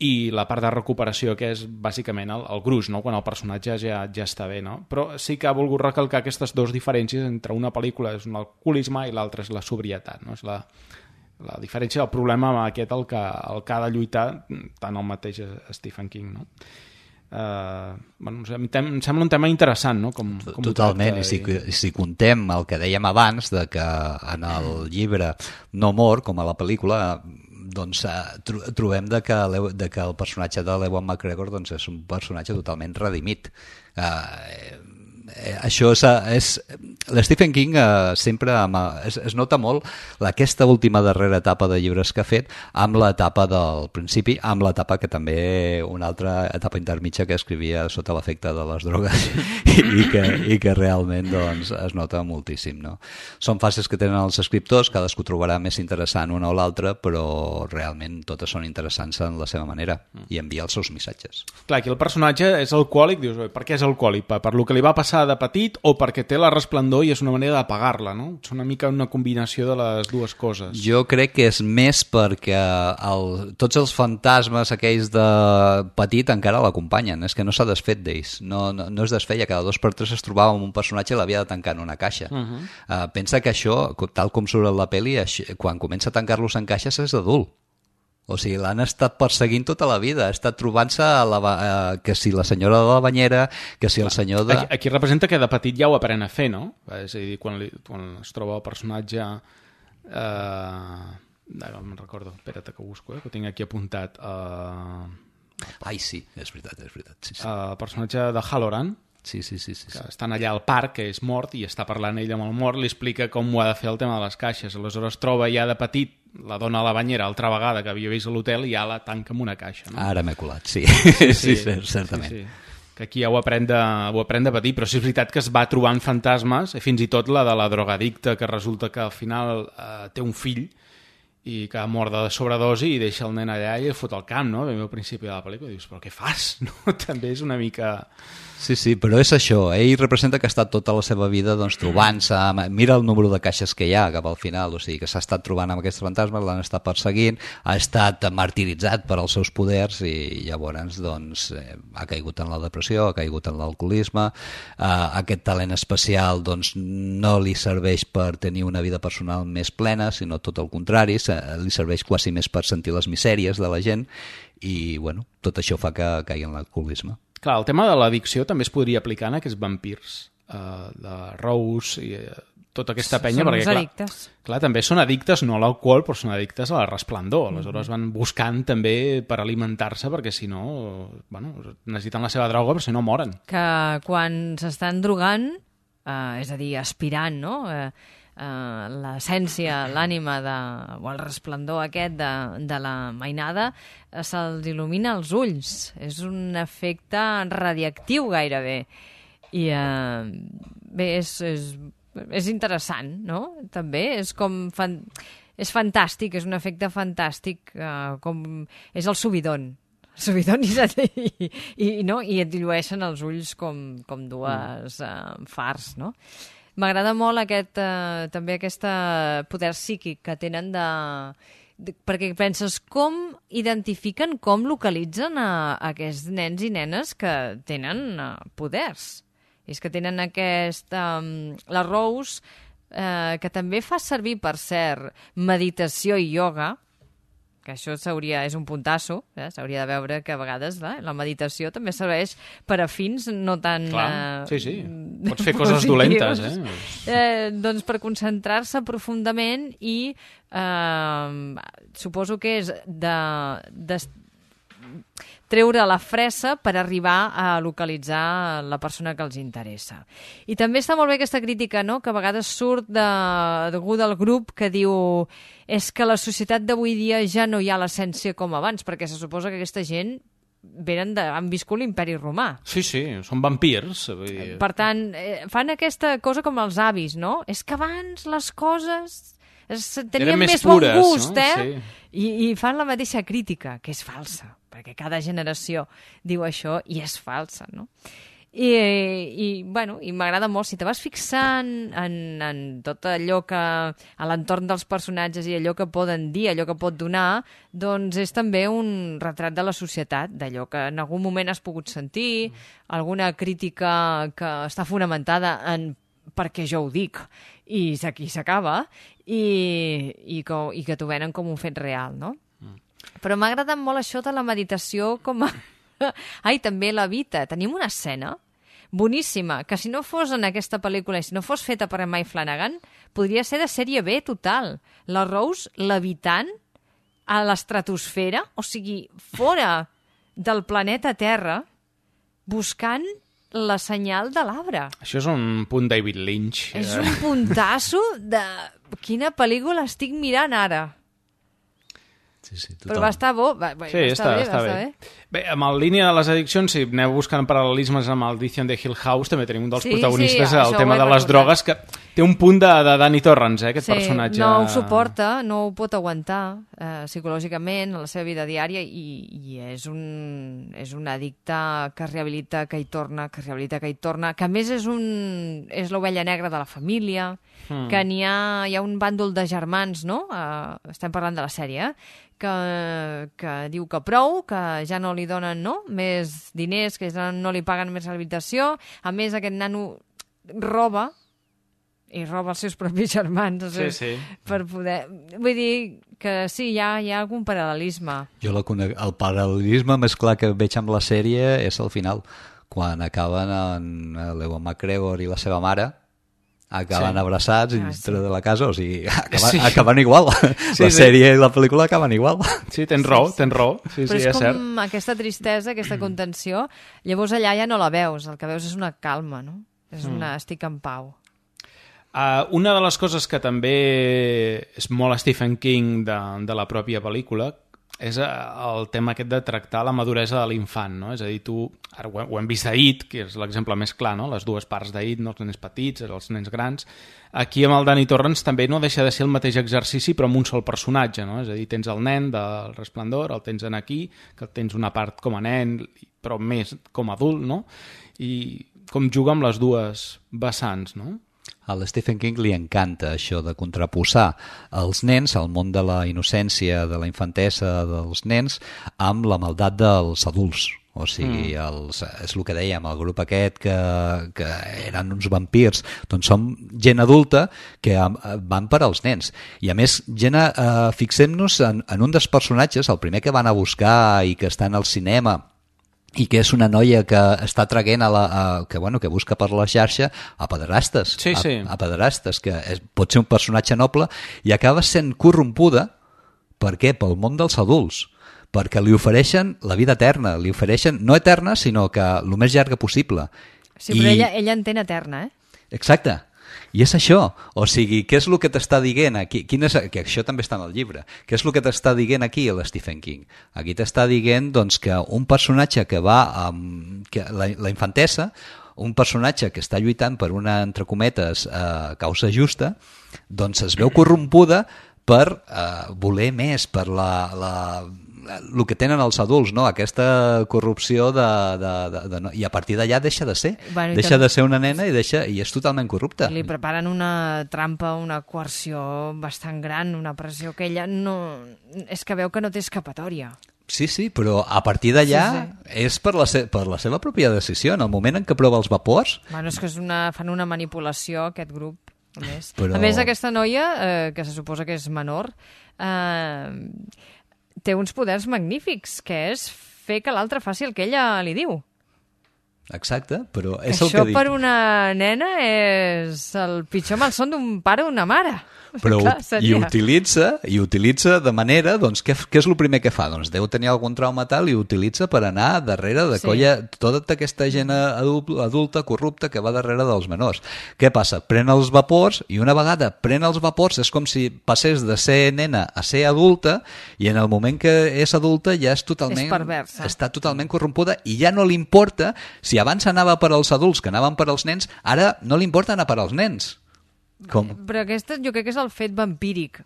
i la part de recuperació que és bàsicament el gruix, no? Quan el personatge ja està bé, no? Però sí que ha volgut recalcar aquestes dues diferències entre una pel·lícula és l'alcoholisme i l'altra és la sobrietat, no? És la diferència del problema amb aquest el que ha de lluitar tant el mateix Stephen King, no? Em sembla un tema interessant, no? Totalment, i si contem el que dèiem abans de que en el llibre no mor, com a la pel·lícula, doncs trobem que el personatge de l'Ewan McGregor doncs, és un personatge totalment redimit. això és l'Stephen King sempre es nota molt aquesta última darrera etapa de llibres que ha fet amb l'etapa del principi, amb l'etapa que també una altra etapa intermitja que escrivia sota l'efecte de les drogues i que realment doncs, es nota moltíssim, no? Són fases que tenen els escriptors, cadascú trobarà més interessant una o l'altra, però realment totes són interessants en la seva manera i envia els seus missatges. Clar, aquí el personatge és alcohòlic, dius, per què és alcohòlic? Per lo que li va passar de petit o perquè té la resplendor i és una manera d'apagar-la, no? És una mica una combinació de les dues coses. Jo crec que és més perquè tots els fantasmes aquells de petit encara l'acompanyen, és que no s'ha desfet d'ells, no es desfeia, cada 2 per 3 es trobava amb un personatge i l'havia de tancar en una caixa. Pensa que això, tal com surt a la pel·li, quan comença a tancar-los en caixes és adult. O sigui, l'han estat perseguint tota la vida, ha estat trobant-se que si la senyora de la banyera, que si el senyor de... Aquí representa que de petit ja ho aprèn a fer, no? És a dir, quan es troba el personatge... no me'n recordo, espera't que ho busco, que ho tinc aquí apuntat. Ai, sí, és veritat. Sí. El personatge de Halloran, sí. que estan allà al parc, que és mort, i està parlant ell amb el mort, li explica com ho ha de fer el tema de les caixes. Aleshores troba ja de petit la dona a la banyera altra vegada que havia vist a l'hotel i ja la tanca amb una caixa. No? Ara m'he colat, sí. Sí, certament. Sí. Que aquí ja ho aprèn de petit, però sí és veritat que es va trobant fantasmes, fins i tot la de la drogadicta, que resulta que al final té un fill i que mor de sobredosi i deixa el nen allà i fot al camp, no? Al principi de la pel·lícula dius, però què fas? No? També és una mica... Sí, però és això, ell representa que ha estat tota la seva vida doncs, trobant-se, mira el número de caixes que hi ha cap al final, o sigui que s'ha estat trobant amb aquests fantasmes, l'han estat perseguint, ha estat martiritzat per als seus poders i llavors doncs, ha caigut en la depressió, ha caigut en l'alcoholisme, aquest talent especial doncs, no li serveix per tenir una vida personal més plena, sinó tot el contrari, li serveix quasi més per sentir les misèries de la gent i bueno, tot això fa que caigui en l'alcoholisme. Clar, el tema de l'addicció també es podria aplicar en aquests vampirs de Rose i tota aquesta penya. Són uns addictes. Clar, també són addictes no a l'alcohol, però són addictes a la resplendor. Aleshores van buscant també per alimentar-se perquè si no, necessiten la seva droga, però si no moren. Que quan s'estan drogant, és a dir, aspirant, no?, l'essència, l'ànima o el resplendor aquest de la mainada se'ls il·lumina els ulls. És un efecte radiactiu gairebé. I bé, és interessant, no? També és com... És fantàstic, és un efecte fantàstic, com és el subidon. I et dilueixen els ulls com dues fars, no? M'agrada molt també aquest poder psíquic que tenen perquè penses com identifiquen, com localitzen aquests nens i nenes que tenen poders. És que tenen la Rose, que també fa servir, per cert, meditació i ioga, que això és un puntasso, s'hauria de veure que a vegades la meditació també serveix per a fins no tan... Clar, sí, pots fer coses dolentes, doncs per concentrar-se profundament i suposo que és de treure la fressa per arribar a localitzar la persona que els interessa. I també està molt bé aquesta crítica, no?, que a vegades surt d'algú del grup que diu és que la societat d'avui dia ja no hi ha l'essència com abans, perquè se suposa que aquesta gent han viscut l'imperi romà. Sí, són vampirs. Per tant, fan aquesta cosa com els avis, no? És que abans les coses tenien més bon gust, no? Sí. I fan la mateixa crítica, que és falsa, perquè cada generació diu això i és falsa, no? I m'agrada molt, si te vas fixant en tot allò que a l'entorn dels personatges i allò que poden dir, allò que pot donar, doncs és també un retrat de la societat, d'allò que en algun moment has pogut sentir, alguna crítica que està fonamentada en perquè jo ho dic, i aquí s'acaba, i que t'ho venen com un fet real, no? Però m'ha agradat molt això de la meditació com a... Ai, també la Vita. Tenim una escena boníssima, que si no fos en aquesta pel·lícula i si no fos feta per Mike Flanagan, podria ser de sèrie B total. La Rose levitant a l'estratosfera, o sigui, fora del planeta Terra, buscant la senyal de l'arbre. Això és un punt David Lynch. És un puntasso de quina pel·lícula estic mirant ara. Sí, però va estar bo. Està bé. Bé, amb el línia de les addiccions, si aneu buscant paral·lelismes amb el Maldición de Hill House, també tenim un dels protagonistes, el tema de les drogues, que té un punt de Danny Torrance, aquest personatge. No ho suporta, no ho pot aguantar psicològicament a la seva vida diària i és un addicte que es rehabilita, que hi torna, que a més és l'ovella negra de la família, que hi ha un bàndol de germans, no? Estem parlant de la sèrie, que diu que prou, que ja no li donen més diners, que ja no li paguen més rehabilitació. A més, aquest nano roba els seus propis germans per poder... Vull dir que sí, hi ha algun paral·lelisme. Jo el paral·lelisme més clar que veig amb la sèrie és al final, quan acaben l'Ewan McGregor i la seva mare acaben abraçats dintre de la casa, o sigui, acaben igual. La sèrie i la pel·lícula acaben igual. Sí, tens raó. Sí, però és com aquesta tristesa, aquesta contenció, llavors allà ja no la veus, el que veus és una calma, no? És una estic en pau. Una de les coses que també és molt Stephen King de la pròpia pel·lícula és el tema aquest de tractar la maduresa de l'infant, no? És a dir, ara ho hem vist a It, que és l'exemple més clar, no? Les dues parts d'It, no? Els nens petits, els nens grans. Aquí amb el Danny Torrance també no deixa de ser el mateix exercici, però amb un sol personatge, no? És a dir, tens el nen del Resplendor, el tens aquí, que tens una part com a nen, però més com a adult, no? I com juga amb les dues vessants, no? A l'Stephen King li encanta això de contraposar els nens, el món de la innocència, de la infantesa dels nens, amb la maldat dels adults. O sigui, és el que dèiem, el grup aquest que eren uns vampirs, doncs són gent adulta que van per als nens. I a més, fixem-nos en un dels personatges, el primer que van a buscar i que està en el cinema, i que és una noia que està traient que busca per la xarxa a pederastes, a pederastes, que pot ser un personatge noble i acaba sent corrompuda. Per què? Pel món dels adults, perquè li ofereixen la vida eterna, li ofereixen no eterna, sinó que el més llarga possible. Sí, però ella entén eterna, Exacte. I és això, o sigui, què és el que t'està dient aquí? Que això també està en el llibre. Què és el que t'està dient aquí l'Stephen King? Aquí t'està dient doncs, que un personatge que va amb la infantesa, un personatge que està lluitant per una, entre cometes, causa justa, doncs es veu corrompuda per voler més, per el que tenen els adults, no? Aquesta corrupció i a partir d'allà deixa de ser. Deixa de ser una nena i és totalment corrupta. Li preparen una trampa, una coerció bastant gran, una pressió que ella no... És que veu que no té escapatòria. Sí, però a partir d'allà és per la seva pròpia decisió. En el moment en què prova els vapors... Bueno, és que fan una manipulació, aquest grup. A més, aquesta noia, que se suposa que és menor, té uns poders magnífics, que és fer que l'altre faci el que ella li diu. Exacte, però és el que dic. Això per una nena és el pitjor malson d'un pare o una mare. Però i utilitza de manera, doncs, què és el primer que fa? Doncs deu tenir algun trauma tal i utilitza per anar darrere de colla tota aquesta gent adulta, corrupta, que va darrere dels menors. Què passa? Pren els vapors i una vegada pren els vapors és com si passés de ser nena a ser adulta i en el moment que és adulta ja és totalment... És perversa. Està totalment corrompuda i ja no li importa, si abans anava per als adults que anaven per als nens, ara no li importa anar per als nens. Però aquest jo crec que és el fet vampíric,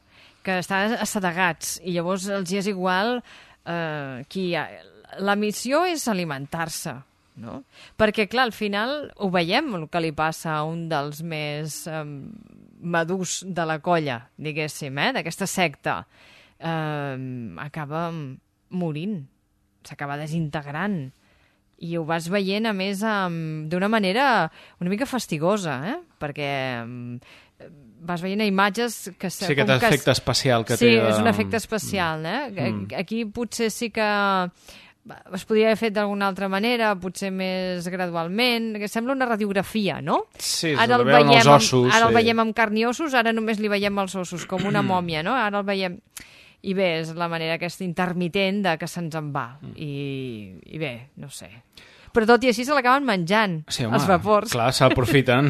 que estan assedegats i llavors els hi és igual la missió és alimentar-se, no? Perquè clar, al final ho veiem el que li passa a un dels més madurs de la colla, diguéssim, d'aquesta secta, acaba morint, s'acaba desintegrant. I ho vas veient, a més, d'una manera una mica fastigosa, perquè vas veient imatges que... Sí, aquest efecte especial que té. Sí, és un efecte especial, Aquí potser sí que es podria haver fet d'alguna altra manera, potser més gradualment, que sembla una radiografia, no? Sí, ara el veiem els ossos. Ara el veiem amb carn i ossos, ara només li veiem els ossos, com una mòmia, no? Ara el veiem... I bé, és la manera aquesta intermitent de que se'ns en va. I bé, no sé. Però tot i així se l'acaben menjant, sí, home, els vapors. Clar, s'aprofiten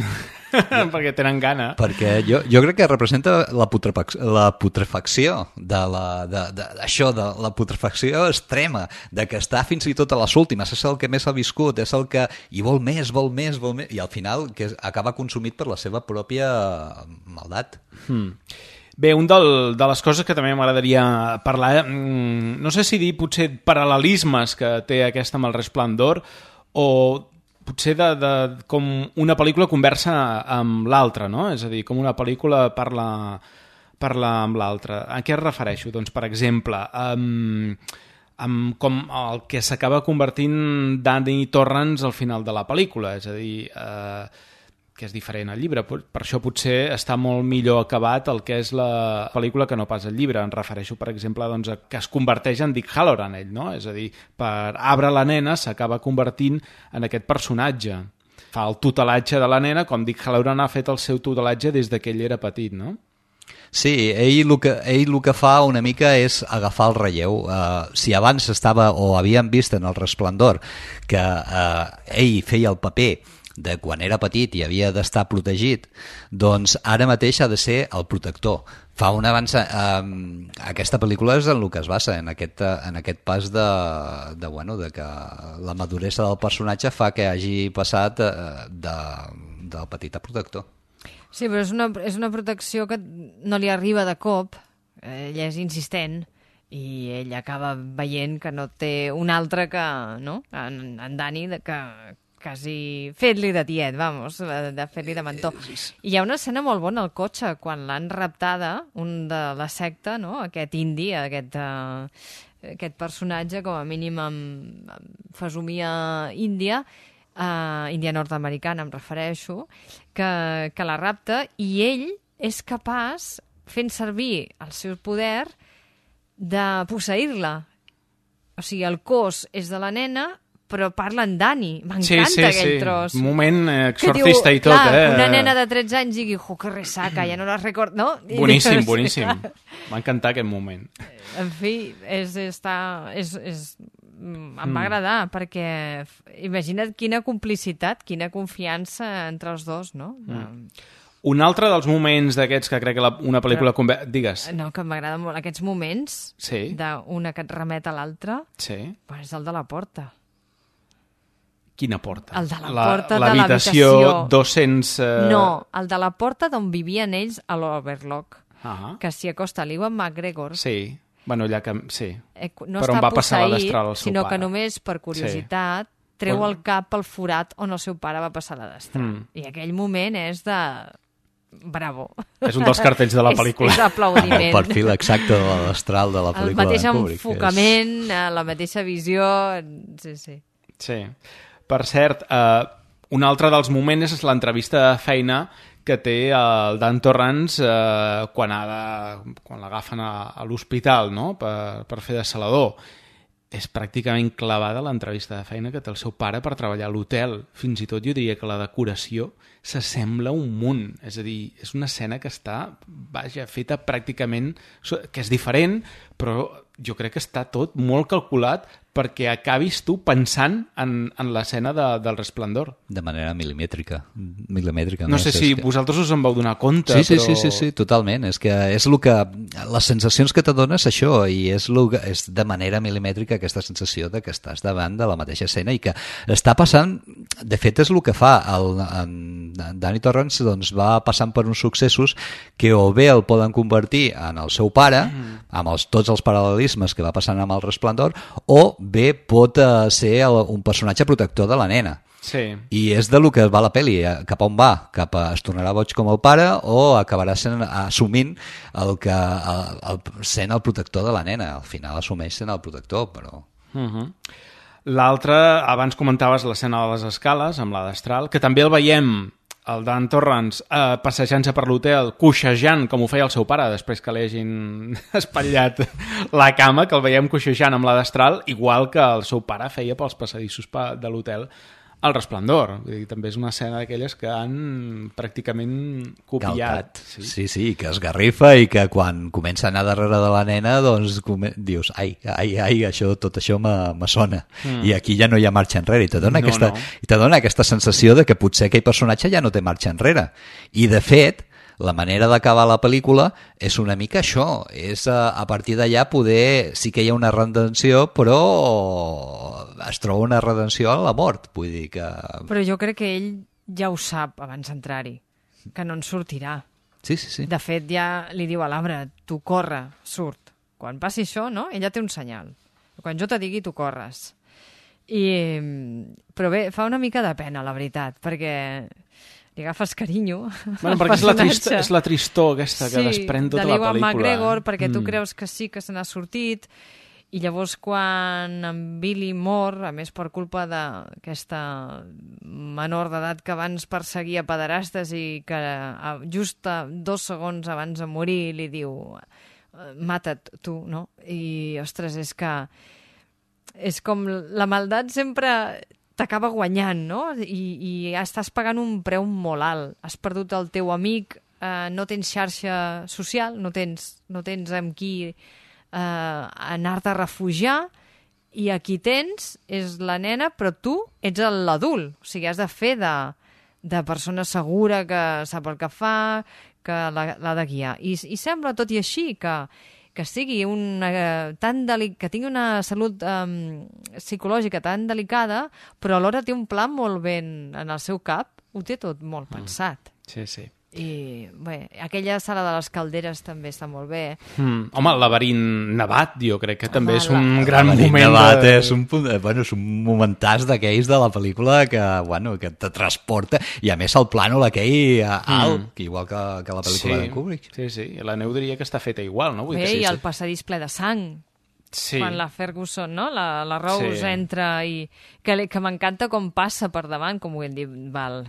perquè tenen gana. Perquè jo crec que representa la putrefacció de la putrefacció extrema, de que està fins i tot a les últimes, és el que més ha viscut, és el que hi vol més, i al final que acaba consumit per la seva pròpia maldat. Bé, de les coses que també m'agradaria parlar, no sé si dir potser paral·lelismes que té aquesta amb el Resplendor, o potser com una pel·lícula conversa amb l'altra, no? És a dir, com una pel·lícula parla amb l'altra. A què es refereixo? Doncs, per exemple, amb com el que s'acaba convertint Danny Torrance al final de la pel·lícula, és a dir, que és diferent al llibre. Per això potser està molt millor acabat el que és la pel·lícula que no pas el llibre. Em refereixo, per exemple, doncs, a que es converteix en Dick Halloran, ell, no? És a dir, per Abra la nena s'acaba convertint en aquest personatge. Fa el tutelatge de la nena com Dick Halloran ha fet el seu tutelatge des que ell era petit, no? Sí, ell el que fa una mica és agafar el relleu. Si abans estava o havien vist en el Resplendor que ell feia el paper de quan era petit i havia d'estar protegit, doncs ara mateix ha de ser el protector. Fa un avanç... aquesta pel·lícula és en el que es basa, en aquest pas de que la maduresa del personatge fa que hagi passat del petit a protector. Sí, però és una protecció que no li arriba de cop, ella és insistent, i ell acaba veient que no té un altre que, no?, en Danny, que quasi fet-li de tiet, vamos, de fer-li de mentó. I hi ha una escena molt bona al cotxe, quan l'han raptada, un de la secta, no?, aquest indi, aquest personatge, com a mínim amb fesomia índia, índia nord-americana em refereixo, que la rapta, i ell és capaç, fent servir el seu poder, de posseir-la. O sigui, el cos és de la nena, però parla en Danny. M'encanta aquell tros. Un moment exorcista i tot, Una nena de 13 anys digui, que ressaca, ja no la recordo, no? Boníssim. M'ha encantat aquest moment. En fi, em va agradar, perquè imagina't quina complicitat, quina confiança entre els dos, no? Un altre dels moments d'aquests que crec que una pel·lícula... Digues. No, que m'agraden molt aquests moments, d'una que et remet a l'altra, és el de la porta. Quina porta? El de la porta de l'habitació 200... No, el de la porta d'on vivien ells a l'Overlock, que s'hi acosta l'Ewan McGregor. Sí, bueno, allà que... Sí, no però on va passar la destral al seu pare. Sinó que només per curiositat treu el cap pel forat on el seu pare va passar la destral. I aquell moment és de... Bravo. És un dels cartells de la pel·lícula. És aplaudiment. El perfil exacte de la destral de la pel·lícula. El mateix enfocament, la mateixa visió... Sí. Per cert, un altre dels moments és l'entrevista de feina que té el Dan Torrance quan l'agafen a l'hospital, no?, per fer de salador. És pràcticament clavada l'entrevista de feina que té el seu pare per treballar a l'hotel. Fins i tot jo diria que la decoració s'assembla un munt. És a dir, és una escena que està, feta pràcticament... que és diferent, però jo crec que està tot molt calculat perquè acabis tu pensant en l'escena del Resplendor. De manera milimètrica. No sé si vosaltres us en vau donar compte, però... Sí, totalment. És que és el que... Les sensacions que t'adones això, i és de manera milimètrica aquesta sensació de que estàs davant de la mateixa escena i que està passant... De fet, és el que fa. Danny Torrance doncs, va passant per uns successos que o bé el poden convertir en el seu pare, amb tots els paral·lelismes que va passant amb el Resplendor, o bé pot ser un personatge protector de la nena. Sí. I és de lo que va la pel·li, cap a on va, cap a es tornarà boig com el pare o acabarà assumint sent el protector de la nena. Al final assumeix sent el protector, però... L'altre, abans comentaves l'escena de les escales amb la destral, que també el veiem, el Dan Torrance, passejant-se per l'hotel, coixejant, com ho feia el seu pare, després que li hagin espatllat la cama, que el veiem coixejant amb la destral, igual que el seu pare feia pels passadissos de l'hotel El Resplendor, vull dir, també és una escena d'aquelles que han pràcticament copiat. Sí, que esgarrifa i que quan comença a anar darrere de la nena doncs dius, ai, tot això me sona. I aquí ja no hi ha marxa enrere i te dona aquesta sensació de que potser aquell personatge ja no té marxa enrere. I de fet, la manera d'acabar la pel·lícula és una mica això, és a partir d'allà poder, sí que hi ha una redenció, però es troba una redenció a la mort, vull dir que... Però jo crec que ell ja ho sap abans d'entrar-hi, que no en sortirà. Sí. De fet, ja li diu a l'arbre, tu corre, surt. Quan passi això, no? Ella té un senyal. Quan jo te digui, tu corres. Però bé, fa una mica de pena, la veritat, perquè... li agafes carinyo. Bueno, perquè és la tristor aquesta que desprèn tota la pel·lícula. De l'Ewan McGregor, perquè tu creus que sí que se n'ha sortit, i llavors quan en Billy mor, a més per culpa d'aquesta menor d'edat que abans perseguia pederastes i que just 2 segons abans de morir li diu mata't tu, no? I, ostres, és que és com la maldat sempre... t'acaba guanyant, no? I estàs pagant un preu molt alt. Has perdut el teu amic, no tens xarxa social, no tens amb qui anar-te a refugiar, i aquí tens, és la nena, però tu ets l'adult. O sigui, has de fer de persona segura que sap el que fa, que l'ha de guiar. I sembla, tot i així, que sigui que tingui una salut psicològica tan delicada, però alhora té un pla molt ben en el seu cap, ho té tot molt pensat. Sí. I bé, aquella sala de les calderes també està molt bé. Home, el laberint nevat, jo crec que també és un gran moment. El nevat és un momentàs d'aquells de la pel·lícula que te transporta, i a més el plànol aquell alt, igual que la pel·lícula de Kubrick. Sí, la neu diria que està feta igual, no? Bé, i el passadís ple de sang. Sí. Quan la Ferguson, no? La Rose entra i... Que m'encanta com passa per davant, com ho hem dit, Val.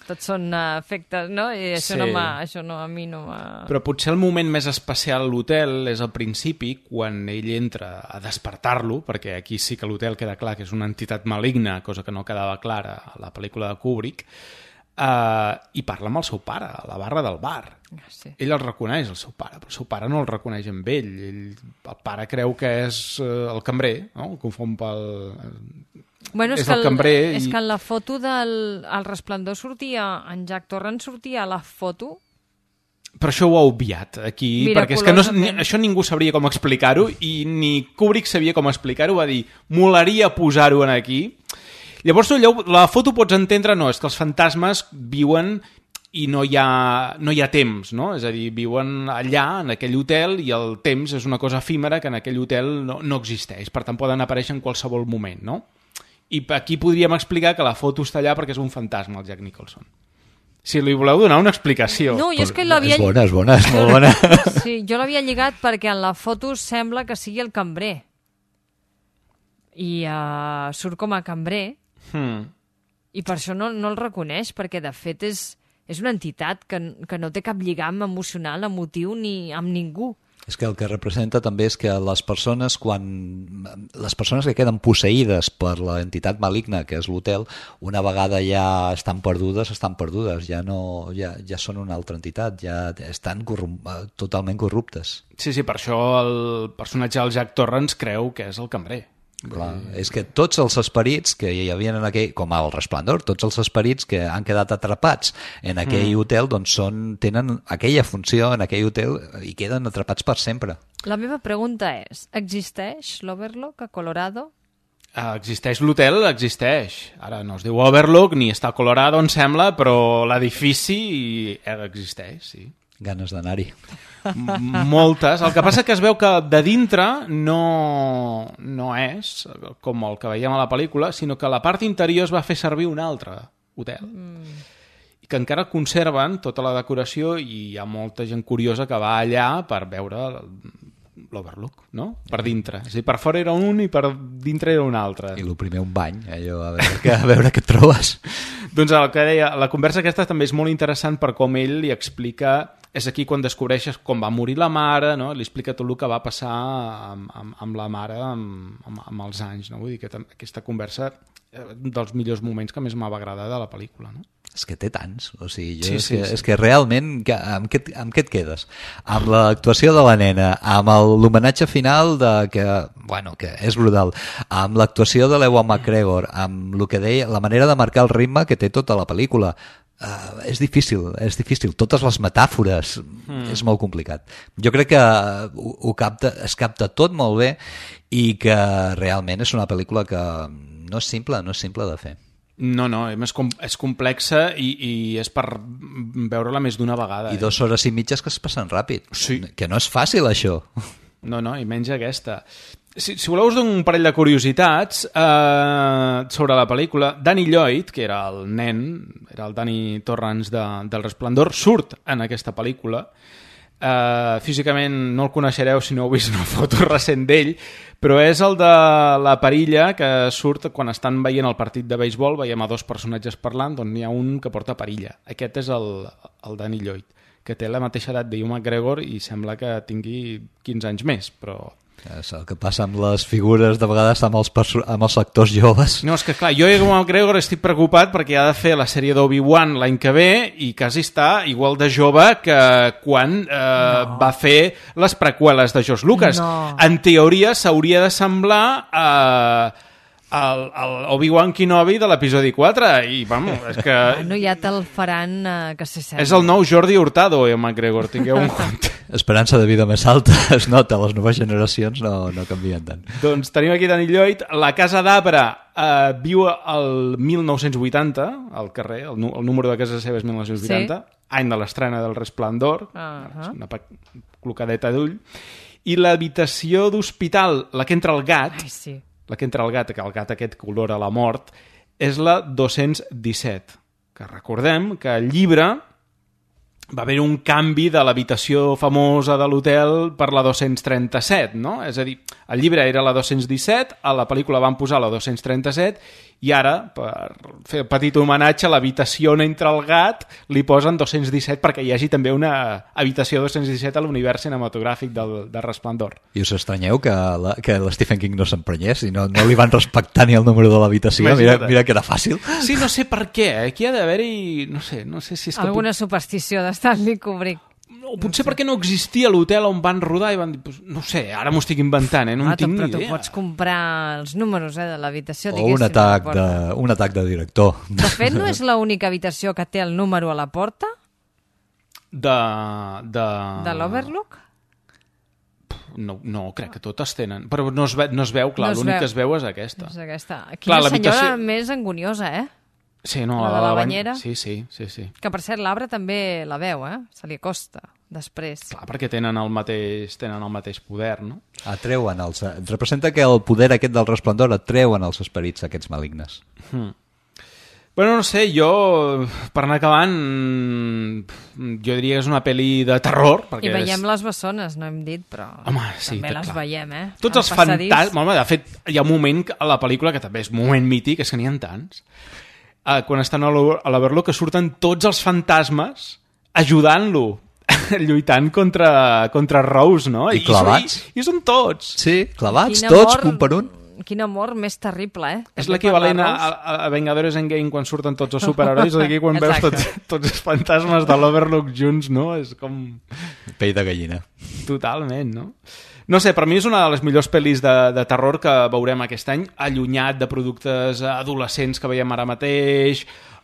Tots són efectes, no? I això a mi no m'ha... Però potser el moment més especial a l'hotel és al principi, quan ell entra a despertar-lo, perquè aquí sí que l'hotel queda clar que és una entitat maligna, cosa que no quedava clara a la pel·lícula de Kubrick, i parla amb el seu pare, a la barra del bar. Sí. Ell el reconeix, el seu pare, però el seu pare no el reconeix amb ell. El pare creu que és el cambrer, no? El confon pel... Bueno, és el cambrer. És que en la foto del Resplendor sortia, en Jack Torrance sortia a la foto... Però això ho ha obviat aquí, perquè és que això ningú sabria com explicar-ho, i ni Kubrick sabia com explicar-ho, va dir, molaria posar-ho aquí. Llavors, la foto pots entendre, no, és que els fantasmes viuen i no hi ha temps, no? És a dir, viuen allà, en aquell hotel, i el temps és una cosa efímera que en aquell hotel no existeix, per tant poden aparèixer en qualsevol moment, no? I aquí podríem explicar que la foto està allà perquè és un fantasma, el Jack Nicholson. Si li voleu donar una explicació... No, jo és que l'havia... És bona, és molt bona. Sí, jo l'havia lligat perquè en la foto sembla que sigui el cambrer. I surt com a cambrer, i per això no el reconeix, perquè de fet és una entitat que no té cap lligam emocional, emotiu, ni amb ningú. És que el que representa també és que les persones que queden posseïdes per l'entitat maligna, que és l'hotel, una vegada ja estan perdudes, ja són una altra entitat, ja estan totalment corruptes. Sí, per això el personatge del Jack Torrance creu que és el cambrer. Clar, és que tots els esperits que hi havia en aquell, com el Resplendor, tots els esperits que han quedat atrapats en aquell hotel, doncs tenen aquella funció en aquell hotel i queden atrapats per sempre. La meva pregunta és, existeix l'Overlook a Colorado? Existeix l'hotel, existeix. Ara no es diu Overlook ni està a Colorado, em sembla, però l'edifici existeix, sí. Ganes d'anar-hi. Moltes. El que passa que es veu que de dintre no és com el que veiem a la pel·lícula, sinó que a la part interior es va fer servir un altre hotel. I que encara conserven tota la decoració, i hi ha molta gent curiosa que va allà per veure l'Overlook, no? Per dintre. És a dir, per fora era un i per dintre era un altre. I el primer un bany, allò, a veure què trobes. Doncs el que deia, la conversa aquesta també és molt interessant per com ell li explica... És aquí quan descobreixes com va morir la mare, no? Li explica tot el que va passar amb la mare amb els anys, no? Vull dir que aquesta conversa dels millors moments que més m'ha agradat de la pel·lícula, no? És que té tants, o sigui, és que realment amb què et quedes? Amb l'actuació de la nena, amb l'homenatge final que és brutal, amb l'actuació de l'Ewan McGregor, amb el que deia, la manera de marcar el ritme que té tota la pel·lícula. És difícil, totes les metàfores, és molt complicat. Jo crec que es capta tot molt bé i que realment és una pel·lícula que no és simple de fer. No, és complexa i és per veure-la més d'una vegada. I 2 hores i mitges que es passen ràpid. Sí. Que no és fàcil, això. No, i menys aquesta. Si voleu us dono un parell de curiositats sobre la pel·lícula. Danny Lloyd, que era el nen, era el Danny Torrance del Resplendor, surt en aquesta pel·lícula. Físicament no el coneixereu si no heu vist una foto recent d'ell, però és el de la perilla que surt quan estan veient el partit de béisbol, veiem a 2 personatges parlant, doncs n'hi ha un que porta perilla. Aquest és el Danny Lloyd, que té la mateixa edat d'Ewan McGregor i sembla que tingui 15 anys més, però... És el que passa amb les figures de vegades amb els actors joves. No, és que clar, jo Ewan McGregor estic preocupat perquè ha de fer la sèrie d'Obi-Wan l'any que ve i quasi està igual de jove que quan va fer les preqüeles de George Lucas. No. En teoria s'hauria de semblar el Obi-Wan Kenobi de l'episodi 4 i vamos, és que... No, ja te'l faran que se sembla. És el nou Jordi Hurtado, Ewan McGregor, tingueu un compte. Esperança de vida més alta, es nota, les noves generacions no canvien tant. Doncs tenim aquí Danny Lloyd, la Casa d'Arbre viu al 1980, al carrer, el número de casa seva és 1980, sí. Any de l'estrena del Resplendor, una clocadeta d'ull, i l'habitació d'hospital, la que entra el gat, la que entra el gat, que el gat aquest que olora la mort, és la 217, que recordem que el llibre va haver un canvi de l'habitació famosa de l'hotel per la 237, no? És a dir, el llibre era la 217, a la pel·lícula van posar la 237 i ara, per fer un petit homenatge a l'habitació on entra el gat, li posen 217 perquè hi hagi també una habitació 217 a l'univers cinematogràfic del Resplendor. I us estranyeu que l'Stephen King no s'emprenyés i no li van respectar ni el número de l'habitació? Mira que era fàcil. Sí, no sé per què. Aquí ha d'haver-hi, no sé si és que... Alguna superstició d'Stanley Kubrick. O potser perquè no existia l'hotel on van rodar i van dir, no sé, ara m'ho estic inventant, no en tinc ni idea. Però tu pots comprar els números de l'habitació, o un atac de director. De fet, no és l'única habitació que té el número a la porta? De l'Overlook? No, crec que totes tenen. Però no es veu, clar, l'únic que es veu és aquesta. És aquesta. Quina senyora més angoniosa, Sí, no, la de la banyera. Sí. Que, per cert, l'arbre també la veu, se li acosta després. Clar, perquè tenen el mateix poder, no? Representa que el poder aquest del Resplendor atreuen els esperits aquests malignes. Bueno, no sé, jo, per anar acabant, jo diria que és una pel·li de terror. I veiem les bessones, no hem dit, però també les veiem, Tots els fantasmes... Home, de fet, hi ha un moment a la pel·lícula que també és un moment mític, és que n'hi ha tants. Quan estan a l'Overlook que surten tots els fantasmes ajudant-lo, lluitant contra Rose, no? I clavats. I són tots. Sí, clavats, tots, un per un. Quin amor més terrible, És l'equivalent a Vengadores Endgame quan surten tots els superherois, o aquí quan veus tots els fantasmes de l'Overlook junts, no? És com... Pell de gallina. Totalment, no? No sé, per mi és una de les millors pel·lis de terror que veurem aquest any, allunyat de productes adolescents que veiem ara mateix,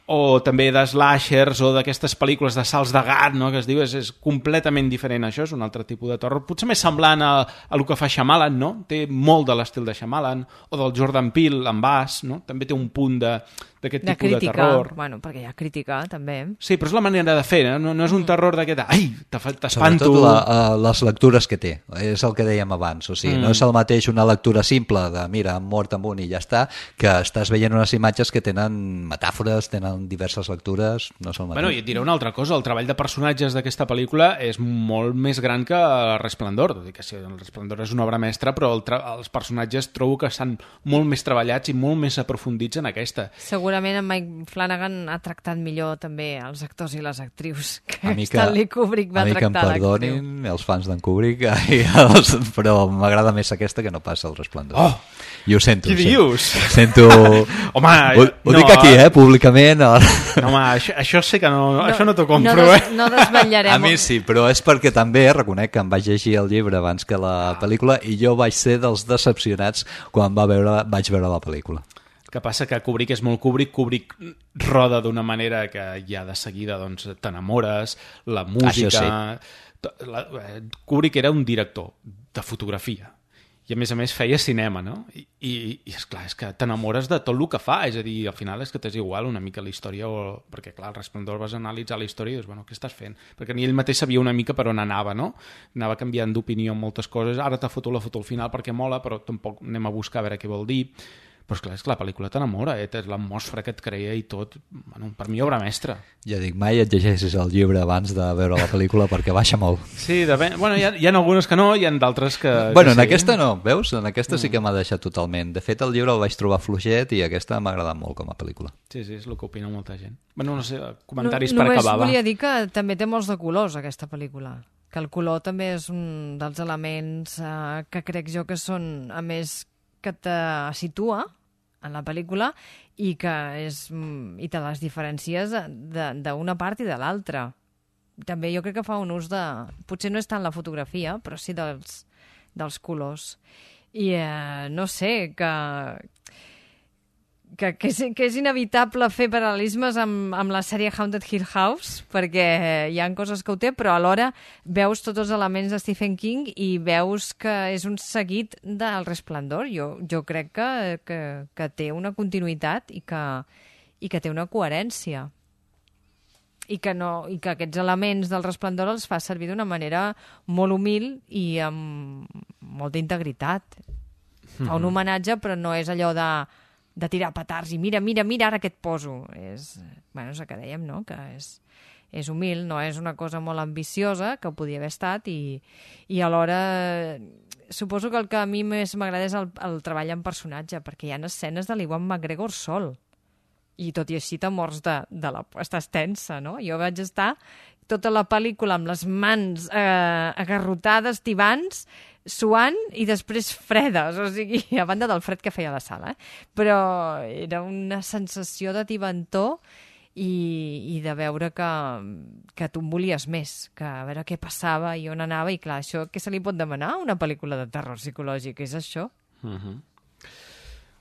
o també de slashers o d'aquestes pel·lícules de salts de gat, no? Que es diu, és completament diferent això, és un altre tipus de terror, potser més semblant a el que fa Shyamalan, no? Té molt de l'estil de Shyamalan, o del Jordan Peele amb Us, no? També té un punt d'aquest tipus de terror. Bueno, perquè hi ha crítica, també. Sí, però és la manera de fer, no és un terror d'aquest... Ai, t'espanto... Sobretot les lectures que té, és el que dèiem abans, o sigui, no és el mateix una lectura simple de, mira, han mort amb un i ja està, que estàs veient unes imatges que tenen metàfores, tenen diverses lectures, no és el mateix. Bueno, i et diré una altra cosa, el treball de personatges d'aquesta pel·lícula és molt més gran que el Resplendor, tot i que sí, el Resplendor és una obra mestra, però els personatges trobo que estan molt més treballats i molt més aprofundits en aquesta. Segurament segurament en Mike Flanagan ha tractat millor també els actors i les actrius que que Stanley Kubrick va tractar l'actriu. A mi que em perdonin els fans d'en Kubrick, però m'agrada més aquesta que no passa el Resplendor. Oh! I ho sento. Què dius? Sento... Home, ho dic aquí, públicament. No, home, això sé que no, això no t'ho compro, No desvetllarem. A mi sí, però és perquè també reconec que em vaig llegir el llibre abans que la pel·lícula i jo vaig ser dels decepcionats quan vaig veure la pel·lícula. Que passa que Kubrick és molt Kubrick roda d'una manera que ja de seguida doncs, t'enamores, la música... Kubrick era un director de fotografia i a més feia cinema, no? I esclar, és que t'enamores de tot el que fa, és a dir, al final és que t'és igual una mica la història, perquè clar, el Resplendor vas analitzar la història i dius, bueno, què estàs fent? Perquè ni ell mateix sabia una mica per on anava, no? Anava canviant d'opinió en moltes coses, ara t'ha fotut la foto al final perquè mola, però tampoc anem a buscar a veure què vol dir. Però és que la pel·lícula t'enamora, l'atmosfera que et crea i tot, bueno, per mi obra mestra. Ja dic, mai et llegeixis el llibre abans de veure la pel·lícula perquè baixa molt. Sí, bueno, hi ha algunes que no, hi ha d'altres que... Bueno, en aquesta no, veus? En aquesta sí que m'ha deixat totalment. De fet, el llibre el vaig trobar fluixet i aquesta m'ha agradat molt com a pel·lícula. Sí, és el que opina molta gent. Bueno, no sé, comentaris per acabar. Només volia dir que també té molts de colors, aquesta pel·lícula. Que el color també és un dels elements que crec jo que són, a més, que te situa en la pel·lícula i i te les diferencies d'una part i de l'altra. També jo crec que fa un ús de... Potser no és tant la fotografia, però sí dels colors. I no sé, que és inevitable fer paral·lelismes amb la sèrie Haunted Hill House, perquè hi ha coses que ho té, però alhora veus tots els elements de Stephen King i veus que és un seguit del Resplendor. Jo crec que té una continuïtat i que té una coherència. I que aquests elements del Resplendor els fa servir d'una manera molt humil i amb molta integritat. Fa un homenatge, però no és allò de tirar petards i mira, ara què et poso. És el que dèiem, no? Que és humil, no és una cosa molt ambiciosa, que podia haver estat, i alhora suposo que el que a mi més m'agrada és el treball en personatge, perquè hi ha escenes de l'Ewan McGregor sol, i tot i així t'amors estàs tensa, no? Jo vaig estar tota la pel·lícula amb les mans agarrotades, tibants, suant i després fredes, o sigui, a banda del fred que feia a la sala, però era una sensació de tibantor i de veure que tu en volies més, que a veure què passava i on anava, i clar, això què se li pot demanar a una pel·lícula de terror psicològic? És això?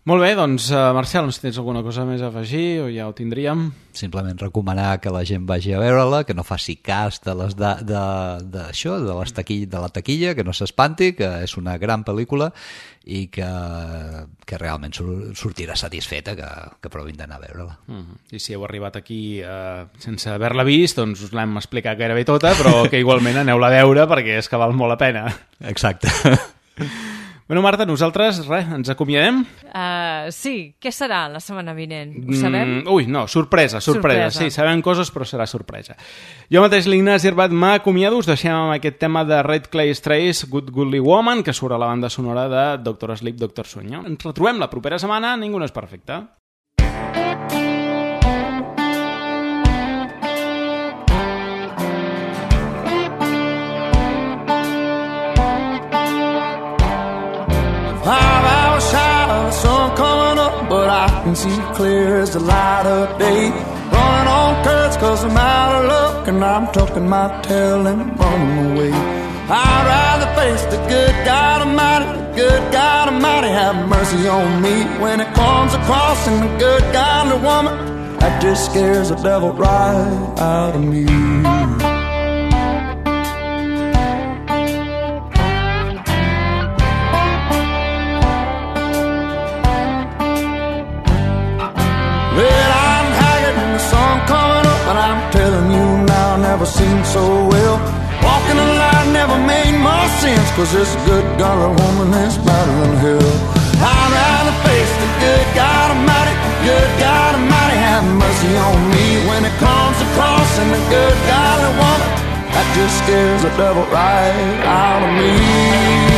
Molt bé, doncs, Marcel, si tens alguna cosa més a afegir o ja ho tindríem. Simplement recomanar que la gent vagi a veure-la, que no faci cas de la taquilla, que no s'espanti, que és una gran pel·lícula i que realment sortirà satisfeta, que provin d'anar a veure-la. I si heu arribat aquí sense haver-la vist, doncs us l'hem explicat gairebé tota, però que igualment aneu-la a veure perquè és que val molt la pena. Exacte. Bueno, Marta, nosaltres, ens acomiadem? Sí, què serà la setmana vinent? Ho sabem? Sorpresa. Sí, sabem coses, però serà sorpresa. Jo mateix, l'Ignasi Herbat, m'acomiado. Us deixem amb aquest tema de Red Clay Strays, Good Goodly Woman, que surt a la banda sonora de Doctor Sleep, Doctor Sueño. Ens retrobem la propera setmana. Ningú no és perfecte. But I can see clear as the light of day. Running on curves cause I'm out of luck, and I'm tucking my tail and running away. I'd rather face the good God Almighty, have mercy on me when it comes across in the good godly woman that just scares the devil right out of me. Never seemed so well. Walking a line never made much sense, cause this good godly woman is better than hell. I'd rather face the good God Almighty, have mercy on me when it comes across in the good godly woman that just scares the devil right out of me.